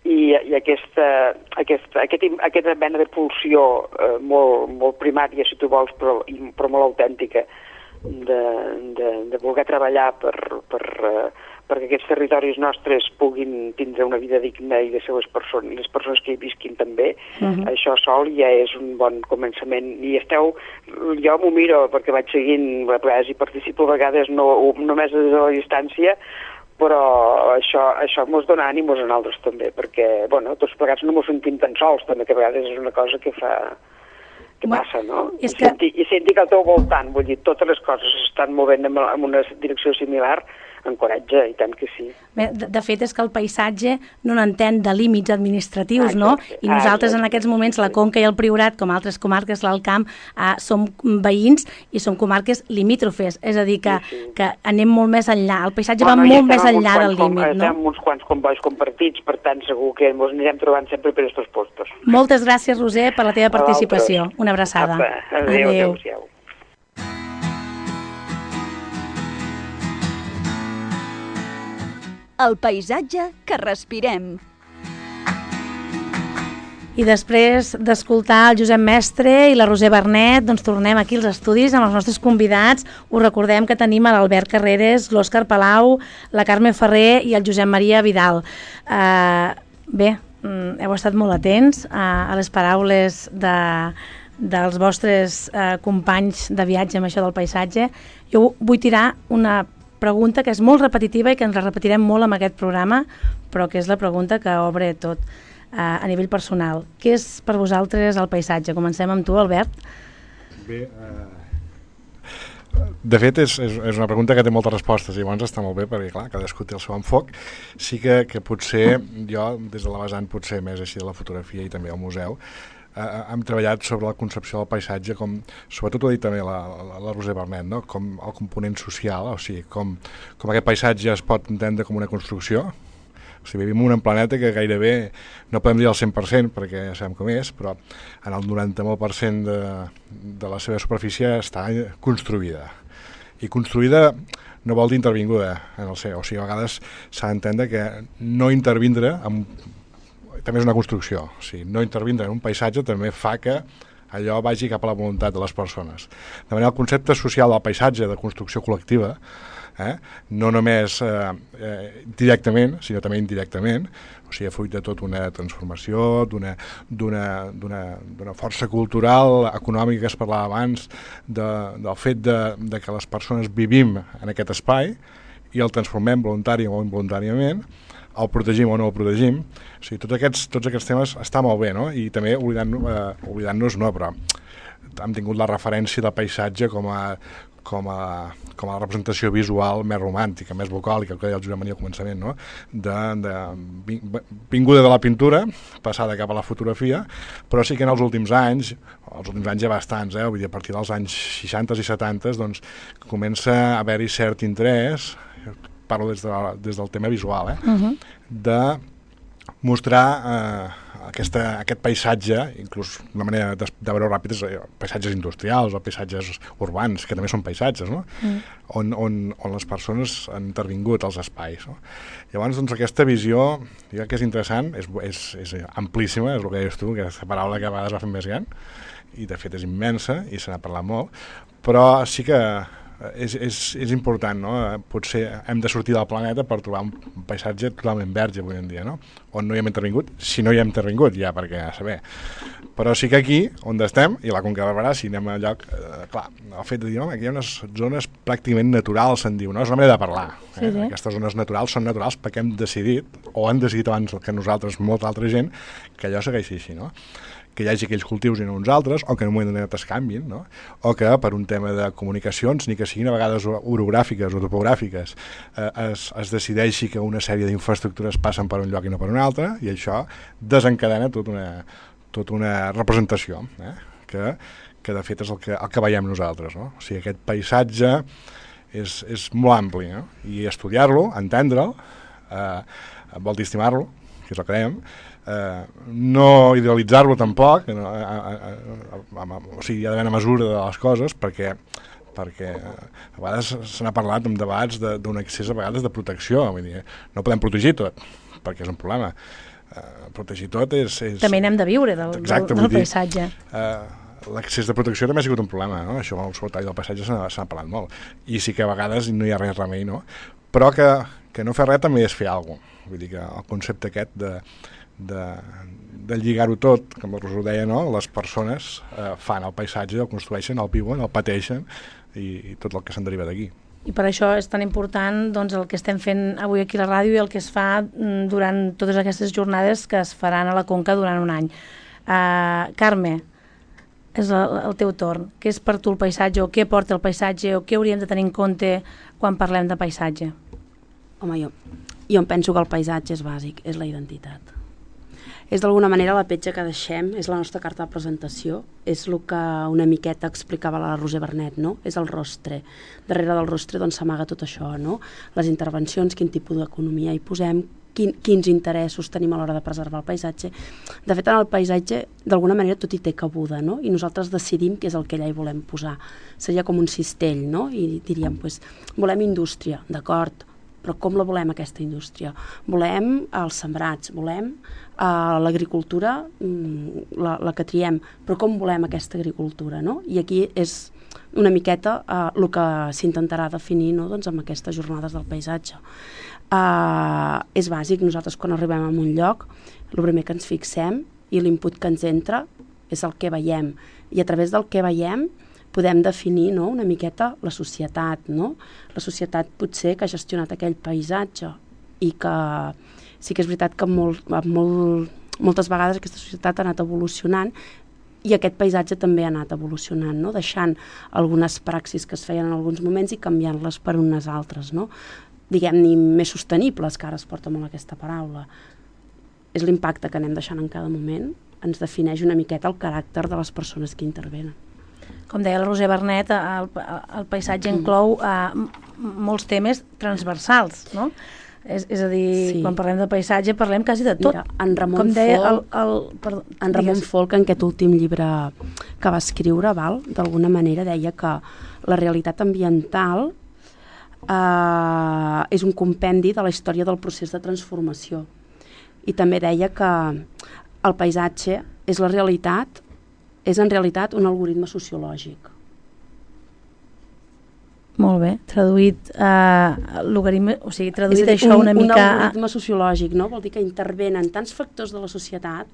i aquesta mena de pulsió molt primària, si tu vols, però molt autèntica, de voler treballar perquè aquests territoris nostres puguin tindre una vida digna i les persones que hi visquin també. Això sol ja és un bon començament. I jo m'ho miro perquè vaig seguint, a vegades hi participo, a vegades no, només des de la distància, però això mos dona ànimos a nosaltres també, perquè tots plegats no mos sentim tan sols, també, que a vegades és una cosa que passa, no? I sentir que al teu voltant, vull dir, totes les coses s'estan movent en una direcció similar, encoratja, i tant que sí. Bé, de fet, és que el paisatge no n'entén de límits administratius, no? I nosaltres en aquests moments, la Conca i el Priorat, com altres comarques, l'Alt Camp, som veïns i som comarques limítrofes, és a dir, que anem molt més enllà, el paisatge va molt més enllà del límit, no? Estem uns quants combois compartits, per tant, segur que ens anirem trobant sempre per aquests postos. Moltes gràcies, Roser, per la teva participació. Una abraçada. Adéu. El paisatge que respirem. I després d'escoltar el Josep Mestre i la Roser Bernet, doncs tornem aquí als estudis amb els nostres convidats. Us recordem que tenim a l'Albert Carreras, l'Òscar Palau, la Carme Ferrer i el Josep Maria Vidal. Bé, heu estat molt atents a les paraules dels vostres companys de viatge amb això del paisatge. Jo vull tirar una pregunta que és molt repetitiva i que ens la repetirem molt en aquest programa, però que és la pregunta que obre tot a nivell personal. Què és per vosaltres el paisatge? Comencem amb tu, Albert. Bé, de fet és una pregunta que té moltes respostes i llavors està molt bé perquè, clar, cadascú té el seu enfoc. Sí que potser jo, des de la vessant potser més així de la fotografia i també al museu, hem treballat sobre la concepció del paisatge com, sobretot ho ha dit també la Roser Bernet, no? Com el component social, o sigui, com aquest paisatge es pot entendre com una construcció. O sigui, vivim en un planeta que gairebé, no podem dir el 100% perquè ja sabem com és, però en el 90% de la seva superfície està construïda. I construïda no vol dir intervinguda en el seu, o sigui, a vegades s'ha d'entendre que no intervindre també és una construcció, o sigui, no intervindre en un paisatge també fa que allò vagi cap a la voluntat de les persones. De manera, el concepte social del paisatge, de construcció col·lectiva, no només directament, sinó també indirectament, o sigui, fruit de tota una transformació, d'una força cultural, econòmica que es parlava abans, del fet de que les persones vivim en aquest espai i el transformem voluntari o involuntàriament, el protegim o no el protegim. O sigui, tots aquests temes està molt bé, no? I també oblidant-nos, no, però hem tingut la referència del paisatge com a representació visual més romàntica, més vocàlica, que deia el Josep Maria al començament, no? Vinguda de la pintura, passada cap a la fotografia, però sí que en els últims anys ja bastants, vull dir, a partir dels anys 60 i 70, doncs comença a haver-hi cert interès, parlo des del tema visual, de mostrar aquest paisatge, inclús una manera de veure ràpid és paisatges industrials o paisatges urbans, que també són paisatges, no? On les persones han intervingut als espais. No? Llavors, doncs, aquesta visió, jo crec que és interessant, és amplíssima, és el que dius tu, aquesta paraula que a vegades va fent més gran, i de fet és immensa, i se n'ha parlat molt, però sí que és important, no? Potser hem de sortir del planeta per trobar un paisatge totalment verge avui en dia, no? On no hi hem intervingut, si no hi hem intervingut ja, perquè a saber. Però sí que aquí, on estem, i la Conca de Barberà, si anem a lloc, clar, el fet de dir, home, aquí hi ha unes zones pràcticament naturals, se'n diu, no? És una manera de parlar. Sí. Aquestes zones naturals són naturals perquè hem decidit, o han decidit abans que nosaltres, molta altra gent, que allò segueixi així, no? Que hi hagi aquells cultius i no uns altres, o que en un moment donat es canvin, no? O que per un tema de comunicacions, ni que siguin a vegades orogràfiques o topogràfiques, es decideixi que una sèrie d'infraestructures passen per un lloc i no per un altre, i això desencadena tota una representació, que de fet és el que veiem nosaltres, no? O sigui, aquest paisatge és molt ampli, no? I estudiar-lo, entendre'l, vol dir estimar-lo, que és el que dèiem, no idealitzar-lo tampoc, o sigui, hi ha d'haver una mesura de les coses, perquè a vegades se n'ha parlat en debats d'un excés a vegades de protecció, vull dir, no podem protegir tot, perquè és un problema. Protegir tot és... També n'hem de viure del paisatge. L'excés de protecció també ha sigut un problema, no? Això al soltari del paisatge se n'ha parlat molt, i sí que a vegades no hi ha res remei, no? Però que no fer res també és fer alguna cosa. Vull dir que el concepte aquest de lligar-ho tot, com us ho deia, no? Les persones fan el paisatge, el construeixen, el viuen, el pateixen i tot el que se'n deriva d'aquí. I per això és tan important doncs, el que estem fent avui aquí a la ràdio i el que es fa durant totes aquestes jornades que es faran a la Conca durant un any. Carme, és el teu torn. Què és per tu el paisatge, o què porta el paisatge, o què hauríem de tenir en compte quan parlem de paisatge? Home, jo em penso que el paisatge és bàsic, és la identitat. És d'alguna manera la petja que deixem, és la nostra carta de presentació, és el que una miqueta explicava la Roser Bernet, no? És el rostre. Darrere del rostre doncs s'amaga tot això, no? Les intervencions, quin tipus d'economia hi posem, quins interessos tenim a l'hora de preservar el paisatge. De fet, en el paisatge, d'alguna manera, tot hi té cabuda, no? I nosaltres decidim què és el que allà hi volem posar. Seria com un cistell, no? I diríem, doncs, volem indústria, d'acord, però com la volem, aquesta indústria? Volem els sembrats, volem l'agricultura, la que triem, però com volem aquesta agricultura, no? I aquí és una miqueta el que s'intentarà definir, no? Doncs amb aquestes jornades del paisatge. És bàsic, nosaltres quan arribem a un lloc, el primer que ens fixem i l'input que ens entra és el que veiem, i a través del que veiem podem definir, no? Una miqueta la societat, no? La societat potser que ha gestionat aquell paisatge i que sí que és veritat que moltes vegades aquesta societat ha anat evolucionant i aquest paisatge també ha anat evolucionant, no? Deixant algunes praxis que es feien en alguns moments i canviant-les per unes altres, no? Diguem-ne més sostenibles, que ara es porta molt aquesta paraula. És l'impacte que anem deixant en cada moment, ens defineix una miqueta el caràcter de les persones que intervenen. Com deia la Roser Bernet, el paisatge inclou molts temes transversals, no? És a dir, quan parlem de paisatge parlem quasi de tot. Mira, en Ramon Folch, en aquest últim llibre que va escriure, d'alguna manera deia que la realitat ambiental és un compendi de la història del procés de transformació. I també deia que el paisatge és en realitat un algoritme sociològic. Molt bé, traduït això una mica... Un algoritme sociològic, no? Vol dir que intervenen tants factors de la societat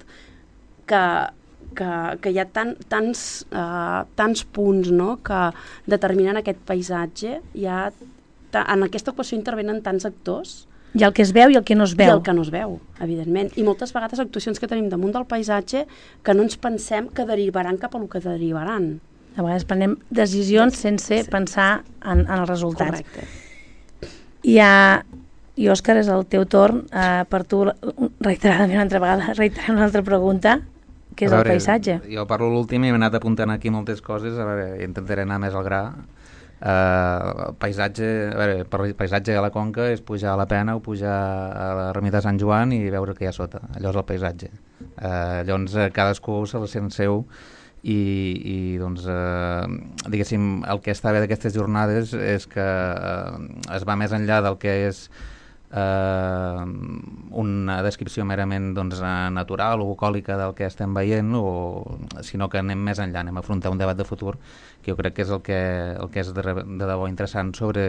que hi ha tants punts, no? Que determinen aquest paisatge. En aquesta equació intervenen tants actors. I el que es veu i el que no es veu. I el que no es veu, evidentment. I moltes vegades actuacions que tenim damunt del paisatge que no ens pensem que derivaran cap a el que derivaran. A vegades prenem decisions sense pensar en els resultats. Correcte. I Òscar, és el teu torn. Per tu, reiteradament una altra vegada, reiterem una altra pregunta, que és el paisatge. Jo parlo l'últim i m'he anat apuntant aquí moltes coses, a veure, intentaré anar més al gra. paisatge, a veure, per paisatge a la Conca és pujar a la Pena o pujar a l'ermita de Sant Joan i veure què hi ha sota, allò és el paisatge. Llavors cadascú se la sent seu i doncs diguéssim el que està bé d'aquestes jornades és que es va més enllà del que és una descripció merament doncs, natural o bucòlica del que estem veient, sinó que anem més enllà, anem a afrontar un debat de futur que jo crec que és el que és de debò interessant sobre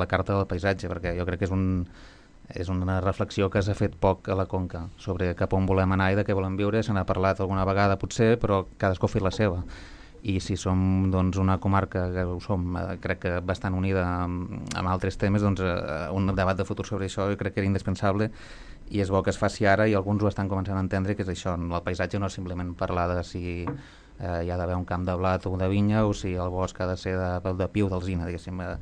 la carta del paisatge, perquè jo crec que és una reflexió que s'ha fet poc a la Conca sobre cap on volem anar i de què volem viure. Se n'ha parlat alguna vegada potser, però cadascú ha fet la seva. I si som doncs, una comarca que ho som, crec que bastant unida amb altres temes, doncs un debat de futur sobre això jo crec que era indispensable i és bo que es faci ara i alguns ho estan començant a entendre, que és això, el paisatge no és simplement parlar de si hi ha d'haver un camp de blat o de vinya o si el bosc ha de ser de pi o d'alzina, diguéssim. M'ha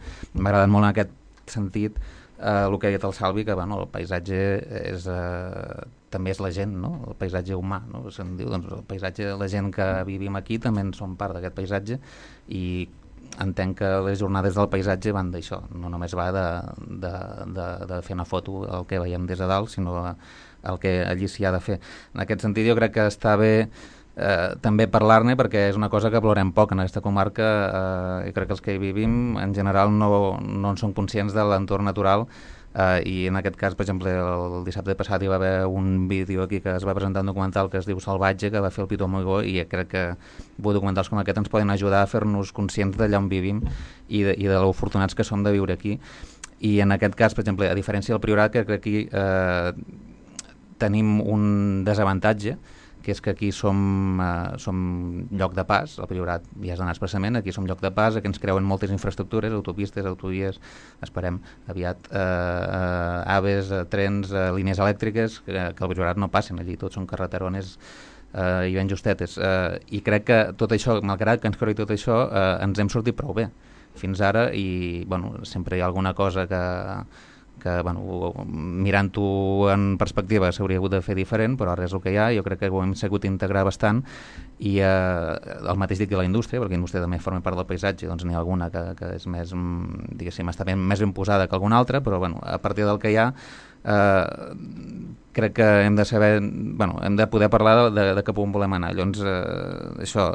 agradat molt en aquest sentit el que ha dit el Salvi, que bueno, el paisatge també és la gent, no? El paisatge humà, no? Se'n diu, doncs, el paisatge, la gent que vivim aquí també en som part d'aquest paisatge i entenc que les jornades del paisatge van d'això, no només va de fer una foto el que veiem des de dalt, sinó el que allí s'hi ha de fer. En aquest sentit jo crec que està bé també parlar-ne, perquè és una cosa que valorem poc en aquesta comarca. Jo crec que els que hi vivim en general no en som conscients de l'entorn natural, i en aquest cas, per exemple, el dissabte passat hi va haver un vídeo aquí que es va presentar un documental que es diu Salvatge, que va fer el Pitu Amigó, i crec que documentals com aquest ens poden ajudar a fer-nos conscients d'allà on vivim i de l'afortunats que som de viure aquí. I en aquest cas, per exemple, a diferència del Priorat, que crec que aquí tenim un desavantatge, que és que aquí som lloc de pas. El Priorat ja has d'anar expressament, aquí som lloc de pas, aquí ens creuen moltes infraestructures, autopistes, autovies, esperem aviat, aves, trens, línies elèctriques, que al Priorat no passen, allí tots són carreterones i ben justetes. I crec que tot això, malgrat que ens creui tot això, ens hem sortit prou bé fins ara, i bueno, sempre hi ha alguna cosa que bueno, mirant-ho en perspectiva s'hauria hagut de fer diferent, però ara és el que hi ha. Jo crec que ho hem sabut integrar bastant, i el mateix dic de la indústria, perquè la indústria també forma part del paisatge, doncs n'hi ha alguna que és més, diguéssim, està més ben posada que alguna altra, però bueno, a partir del que hi ha crec que hem de saber, bueno, hem de poder parlar de cap on volem anar. Llavors, això,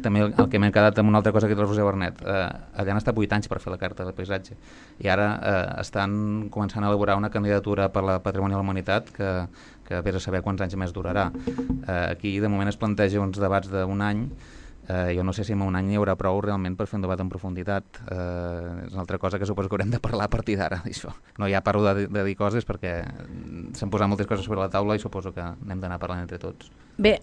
també el que m'he quedat amb una altra cosa que és el Roser Bernet. Allà han estat 8 anys per fer la carta de paisatge, i ara estan començant a elaborar una candidatura per la Patrimoni de la Humanitat que vés a saber quants anys més durarà. Aquí, de moment, es planteja uns debats d'un any. Jo no sé si en un any hi haurà prou realment per fer un debat en profunditat. És una altra cosa que suposo que haurem de parlar a partir d'ara, d'això. No hi ha paro de dir coses perquè s'han posat moltes coses sobre la taula i suposo que n'hem d'anar parlant entre tots. Bé,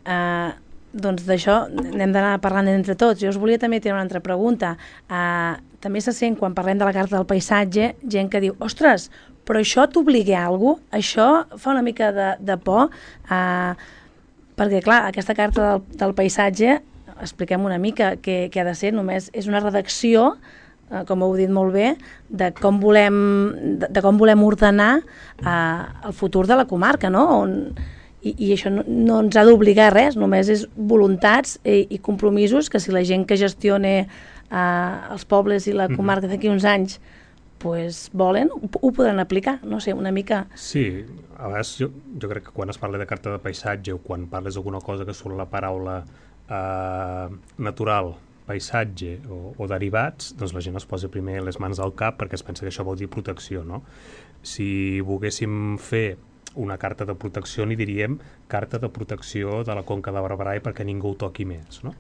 doncs d'això n'hem d'anar parlant entre tots. Jo us volia també tenir una altra pregunta. També se sent, quan parlem de la carta del paisatge, gent que diu, ostres, però això t'obliga a alguna cosa? Això fa una mica de por, perquè clar, aquesta carta del paisatge, expliquem una mica què ha de ser, només és una redacció, com heu dit molt bé, de com volem ordenar el futur de la comarca, no? I això no ens ha d'obligar a res, només és voluntats i compromisos que si la gent que gestione els pobles i la comarca d'aquí uns anys pues volen, ho podran aplicar, no sé, una mica... Sí, a vegades jo crec que quan es parla de carta de paisatge o quan parles d'alguna cosa que surt la paraula natural, paisatge o derivats, doncs la gent es posa primer les mans al cap perquè es pensa que això vol dir protecció, no? Si volguéssim fer una carta de protecció, n'hi diríem carta de protecció de la Conca de Barberà i perquè ningú ho toqui més, no?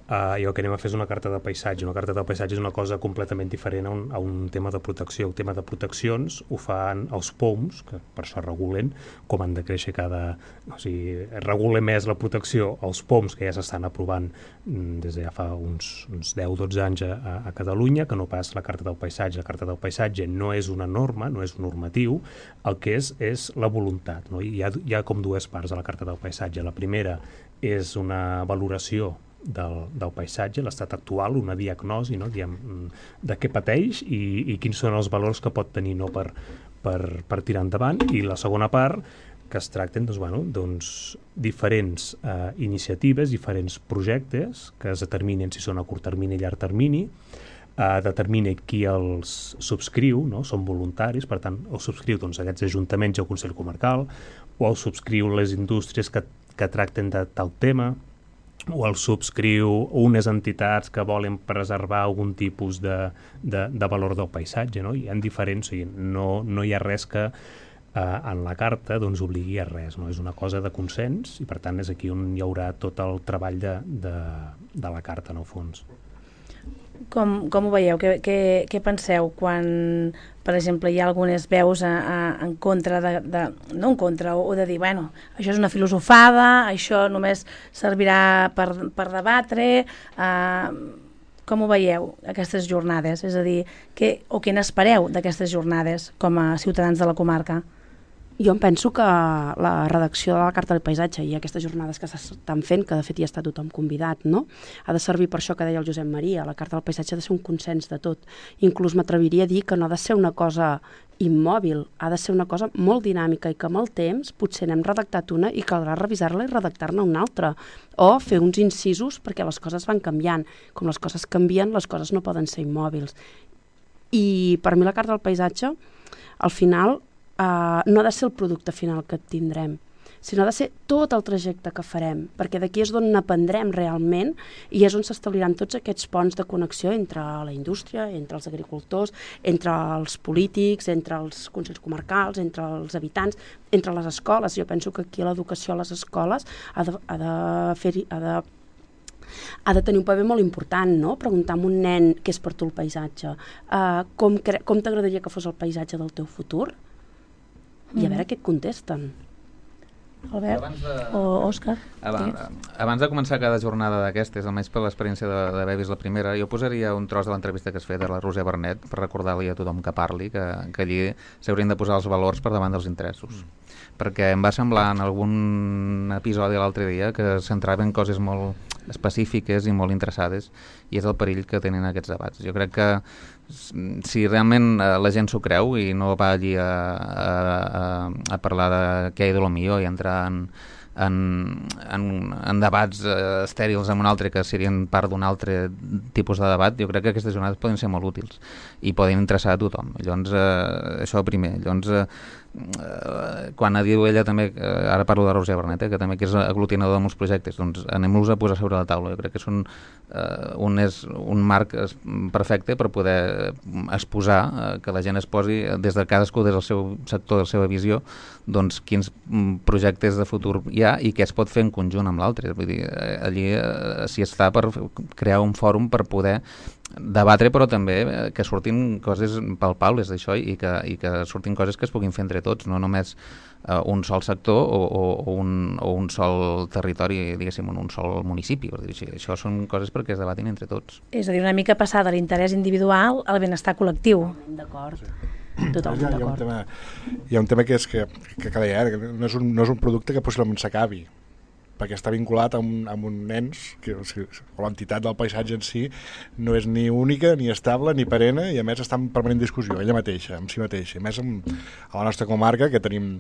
I el que anem a fer és una carta de paisatge. Una carta de paisatge és una cosa completament diferent a un tema de protecció. El tema de proteccions ho fan els POMs, que per això regulen com han de créixer o sigui, regula més la protecció els POMs, que ja s'estan aprovant des de ja fa uns 10-12 anys a Catalunya, que no pas la carta del paisatge. La carta del paisatge no és una norma, no és un normatiu, el que és la voluntat, no? Hi ha com dues parts a la carta del paisatge. La primera és una valoració del paisatge, l'estat actual, una diagnosi, no? Diem, de què pateix i quins són els valors que pot tenir, no? per tirar endavant. I la segona part, que es tracten diferents iniciatives, diferents projectes que es determinen si són a curt termini i llarg termini, determina qui els subscriu, no? Són voluntaris, per tant, els subscriu aquests ajuntaments o el Consell Comarcal, o els subscriu les indústries que tracten de tal tema, o els subscriu unes entitats que volen preservar algun tipus de valor del paisatge, no? Hi ha diferents, no hi ha res que en la carta obligui a res, no? És una cosa de consens i per tant és aquí on hi haurà tot el treball de la carta, en el fons. Com ho veieu? Què penseu quan, per exemple, hi ha algunes veus en contra no en contra, o de dir, bueno, això és una filosofada, això només servirà per debatre, com ho veieu, aquestes jornades? És a dir, què n'espereu d'aquestes jornades com a ciutadans de la comarca? Jo em penso que la redacció de la Carta del Paisatge i aquestes jornades que s'estan fent, que de fet hi està tothom convidat, no? Ha de servir per això que deia el Josep Maria, la Carta del Paisatge ha de ser un consens de tot. Inclús m'atreviria a dir que no ha de ser una cosa immòbil, ha de ser una cosa molt dinàmica i que amb el temps potser n'hem redactat una i caldrà revisar-la i redactar-ne una altra, o fer uns incisos perquè les coses van canviant. Com les coses canvien, les coses no poden ser immòbils. I per mi la Carta del Paisatge, al final, no ha de ser el producte final que tindrem, sinó ha de ser tot el trajecte que farem, perquè d'aquí és d'on n'aprendrem realment i és on s'establiran tots aquests ponts de connexió entre la indústria, entre els agricultors, entre els polítics, entre els consells comarcals, entre els habitants, entre les escoles. Jo penso que aquí l'educació a les escoles ha de tenir un paper molt important, no? Preguntar a un nen què és per tu el paisatge, com t'agradaria que fos el paisatge del teu futur, i a veure què et contesten. Albert o Òscar? Abans de començar cada jornada d'aquestes, almenys per l'experiència d'haver vist la primera, jo posaria un tros de l'entrevista que es feia de la Roser Bernet per recordar-li a tothom que parli que allí s'haurien de posar els valors per davant dels interessos. Perquè em va semblar en algun episodi l'altre dia que centrava en coses molt específiques i molt interessades i és el perill que tenen aquests debats. Jo crec que si realment la gent s'ho creu i no va allí a parlar de què hi ha de lo millor i entrar en debats estèrils amb un altre que serien part d'un altre tipus de debat, jo crec que aquestes jornades poden ser molt útils i poden interessar a tothom. Llavors, això primer. Llavors, quan diu ella també, ara parlo de Roser Bernet, que també que és aglutinador de molts projectes, doncs anem-los a posar sobre la taula. Jo crec que són un marc perfecte per poder exposar, que la gent es posi des de cadascú, des del seu sector, de la seva visió, doncs quins projectes de futur hi ha i què es pot fer en conjunt amb l'altre. Vull dir, allí s'hi està per crear un fòrum per poder debatre, però també que surtin coses palpables d'això i que surtin coses que es puguin fer entre tots, no només un sol sector o un sol territori, diguéssim, un sol municipi. Això són coses perquè es debatin entre tots. És a dir, una mica passar de l'interès individual al benestar col·lectiu. D'acord. Totalment d'acord. Hi ha un tema que és que deia, que no és un producte que possiblement s'acabi, perquè està vinculat amb un ens, o l'entitat del paisatge en si no és ni única, ni estable, ni perenne, i a més està en permanent discussió, ella mateixa, amb si mateixa. A més, a la nostra comarca, que tenim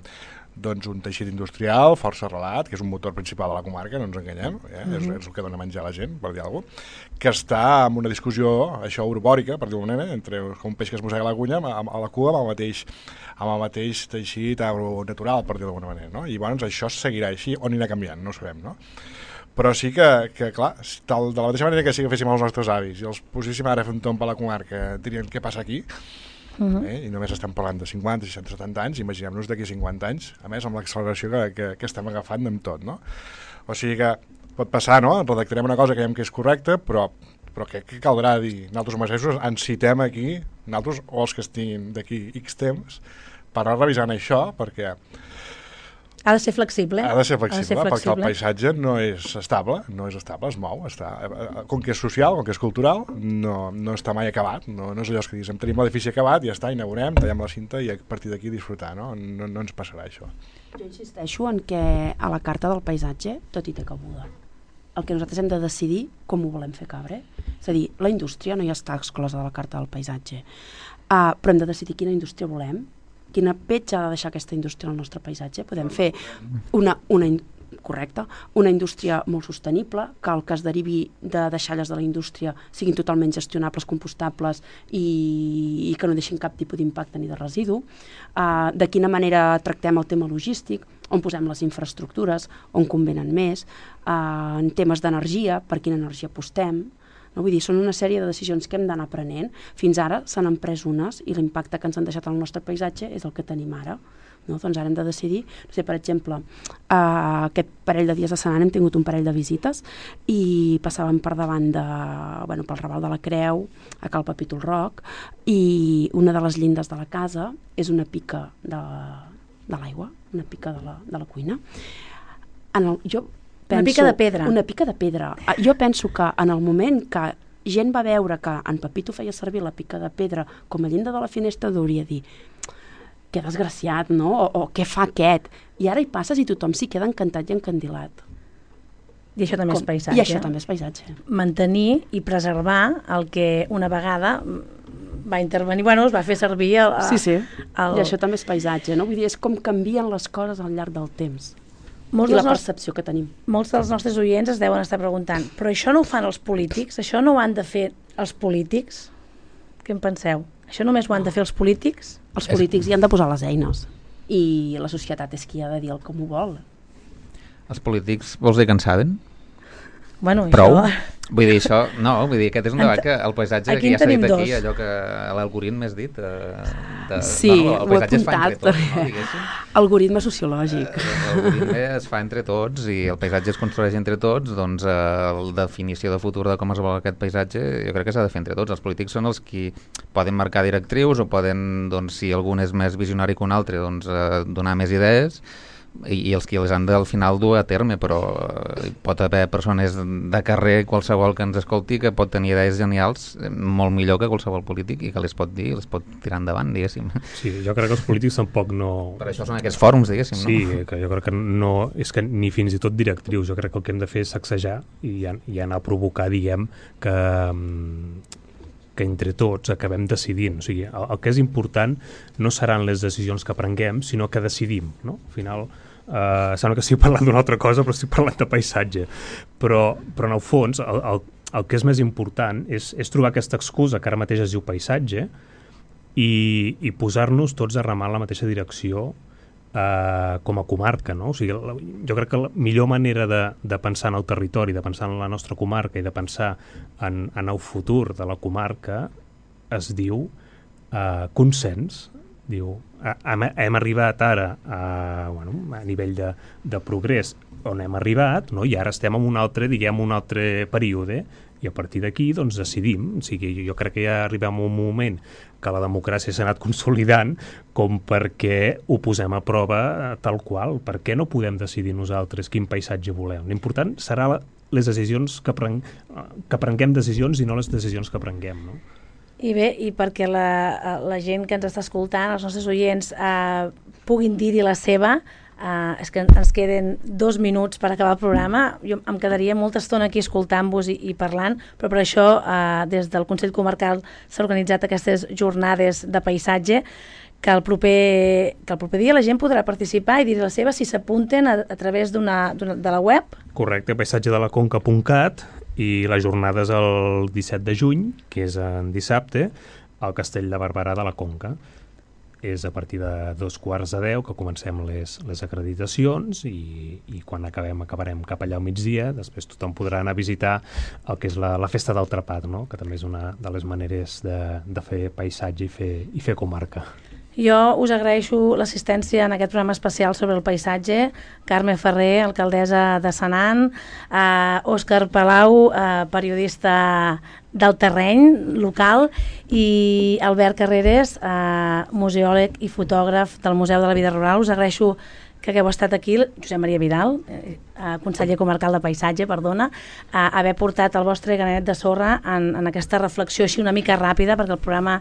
un teixit industrial força arrelat, que és un motor principal de la comarca, no ens enganyem, és el que dona menjar a la gent, per dir alguna cosa, que està en una discussió, això, urbòrica, per dir-ho d'alguna manera, entre un peix que es mossega la cunya a la cua amb el mateix teixit agronatural, per dir-ho d'alguna manera, no? I llavors això seguirà així o anirà canviant, no ho sabem, no? Però sí que clar, de la mateixa manera que sí que féssim els nostres avis i els poséssim ara a fer un tomb a la comarca, dirien què passa aquí, i només estem parlant de 50, 60, 70 anys, imaginem-nos d'aquí 50 anys, a més amb l'acceleració que estem agafant amb tot, no? O sigui que pot passar, no? Redactarem una cosa que veiem que és correcta, però què caldrà dir? Nosaltres mateixos ens citem aquí, nosaltres o els que estiguin d'aquí X temps, per anar revisant això, perquè ha de ser flexible. Ha de ser flexible, perquè el paisatge no és estable, es mou. Com que és social, com que és cultural, no està mai acabat. No és allò que diguem, tenim l'edifici acabat, ja està, inaugurem, tallem la cinta i a partir d'aquí disfrutar, no ens passarà això. Jo insisteixo en que a la Carta del Paisatge tot hi té cabuda. El que nosaltres hem de decidir com ho volem fer cabre. És a dir, la indústria no hi està exclosa de la Carta del Paisatge, però hem de decidir quina indústria volem, quina petja ha de deixar aquesta indústria al nostre paisatge. Podem fer correcte, una indústria molt sostenible, que el que es derivi de deixalles de la indústria siguin totalment gestionables, compostables i que no deixin cap tipus d'impacte ni de residu, de quina manera tractem el tema logístic, on posem les infraestructures, on convenen més, en temes d'energia, per quina energia apostem. No? Vull dir, són una sèrie de decisions que hem d'anar prenent. Fins ara se n'han pres unes i l'impacte que ens han deixat al nostre paisatge és el que tenim ara. No? Doncs ara hem de decidir, no sé, per exemple, aquest parell de dies de setmana hem tingut un parell de visites i passàvem per davant pel Raval de la Creu, a Cal Papítol Roc, i una de les llindes de la casa és una pica de l'aigua, una pica de la cuina. Una pica de pedra. Una pica de pedra. Jo penso que en el moment que gent va veure que en Pepito feia servir la pica de pedra com a llinda de la finestra, hauria de dir que desgraciat, no? O què fa aquest? I ara hi passes i tothom s'hi queda encantat i encandilat. I això també és paisatge. I això també és paisatge. Mantenir i preservar el que una vegada va intervenir, es va fer servir Sí. I això també és paisatge, no? Vull dir, és com canvien les coses al llarg del temps. I la percepció que tenim. Molts dels nostres oients es deuen estar preguntant, però això no ho fan els polítics? Això no ho han de fer els polítics? Què en penseu? Això només ho han de fer els polítics? Els polítics hi han de posar les eines i la societat és qui ha de dir el com ho vol. Els polítics vols dir que en saben? Bueno, prou? Això... Vull dir, això, no, vull dir, aquest és un debat que el paisatge que ja s'ha dit aquí, allò que l'algoritme has dit, sí, el paisatge es fa entre tots, no, diguéssim. Algoritme sociològic. L'algoritme es fa entre tots i el paisatge es construeix entre tots, doncs la definició de futur de com es vol aquest paisatge jo crec que s'ha de fer entre tots. Els polítics són els qui poden marcar directrius o poden, doncs, si algun és més visionari que un altre, doncs donar més idees, i els que les han de al final dur a terme, però pot haver persones de carrer, qualsevol que ens escolti, que pot tenir idees genials molt millor que qualsevol polític i que les pot dir, les pot tirar endavant, diguéssim. Sí, jo crec que els polítics tampoc no... Per això són aquests fòrums, diguéssim, no? Sí, que jo crec que no... És que ni fins i tot directrius, jo crec que el que hem de fer és sacsejar i anar a provocar, diguem, que entre tots acabem decidint. O sigui, el que és important no seran les decisions que prenguem, sinó que decidim, no? Al final, sembla que estic parlant d'una altra cosa, però estic parlant de paisatge. Però en el fons, el que és més important és trobar aquesta excusa que ara mateix es diu paisatge i posar-nos tots a remar en la mateixa direcció com a comarca, no? O sigui, jo crec que la millor manera de pensar en el territori, de pensar en la nostra comarca i de pensar en el futur de la comarca es diu consens. Diu, hem arribat ara a nivell de progrés on hem arribat, no? I ara estem en un altre període i a partir d'aquí doncs decidim. O sigui, jo crec que ja arribem a un moment que la democràcia s'ha anat consolidant com perquè ho posem a prova tal qual. Per què no podem decidir nosaltres quin paisatge volem? L'important serà les decisions que prenguem decisions i no les decisions que prenguem, no? I bé, i perquè la gent que ens està escoltant, els nostres oients, puguin dir-hi la seva, és que ens queden 2 minuts per acabar el programa. Jo em quedaria molta estona aquí escoltant-vos i parlant, però per això des del Consell Comarcal s'han organitzat aquestes jornades de paisatge que el proper dia la gent podrà participar i dir la seva si s'apunten a través de la web. Correcte, paisatgedelaconca.cat, i la jornada és el 17 de juny, que és en dissabte, al Castell de Barberà de la Conca. És a partir de 9:45 que comencem les acreditacions i quan acabarem cap allà al migdia. Després tothom podrà anar a visitar el que és la Festa del Trapat, no? Que també és una de les maneres de fer paisatge i fer comarca. Jo us agraeixo l'assistència en aquest programa especial sobre el paisatge. Carme Ferrer, alcaldessa de Senan, Òscar Palau, periodista del terreny local, i Albert Carreras, museòleg i fotògraf del Museu de la Vida Rural. Us agraeixo que hagueu estat aquí, Josep Maria Vidal, conseller comarcal de Paisatge, perdona, haver portat el vostre granet de sorra en aquesta reflexió així una mica ràpida, perquè el programa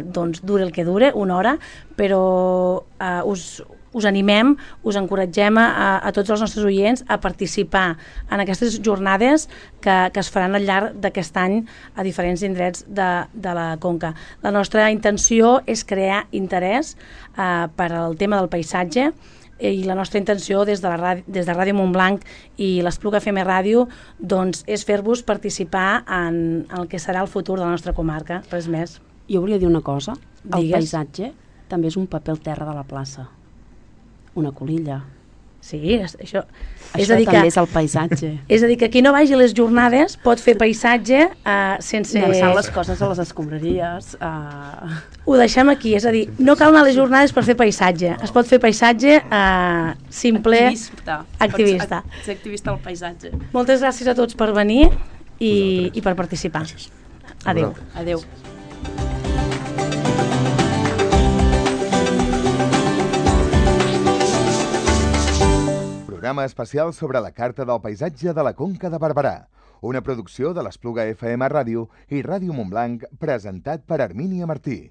dura el que dure, 1 hora, però us animem, us encoratgem a tots els nostres oients a participar en aquestes jornades que es faran al llarg d'aquest any a diferents indrets de la Conca. La nostra intenció és crear interès per al tema del paisatge, i la nostra intenció des de Ràdio Montblanc i l'Espluga FM Ràdio doncs, és fer-vos participar en el que serà el futur de la nostra comarca, res més. Jo volia dir una cosa, el Digues. paisatge també és un paper al terra de la plaça, una colilla. Sí, això Això també és el paisatge. És a dir, que qui no vagi a les jornades pot fer paisatge sense... Llançant les coses a les escombraries. Ho deixem aquí, és a dir, no cal anar a les jornades per fer paisatge. Es pot fer paisatge simple... Activista. Ser activista al paisatge. Moltes gràcies a tots per venir i per participar. Gràcies. Adéu. Adéu. Programa especial sobre la Carta del Paisatge de la Conca de Barberà, una producció de l'Espluga FM Ràdio i Ràdio Montblanc, presentat per Hermínia Martí.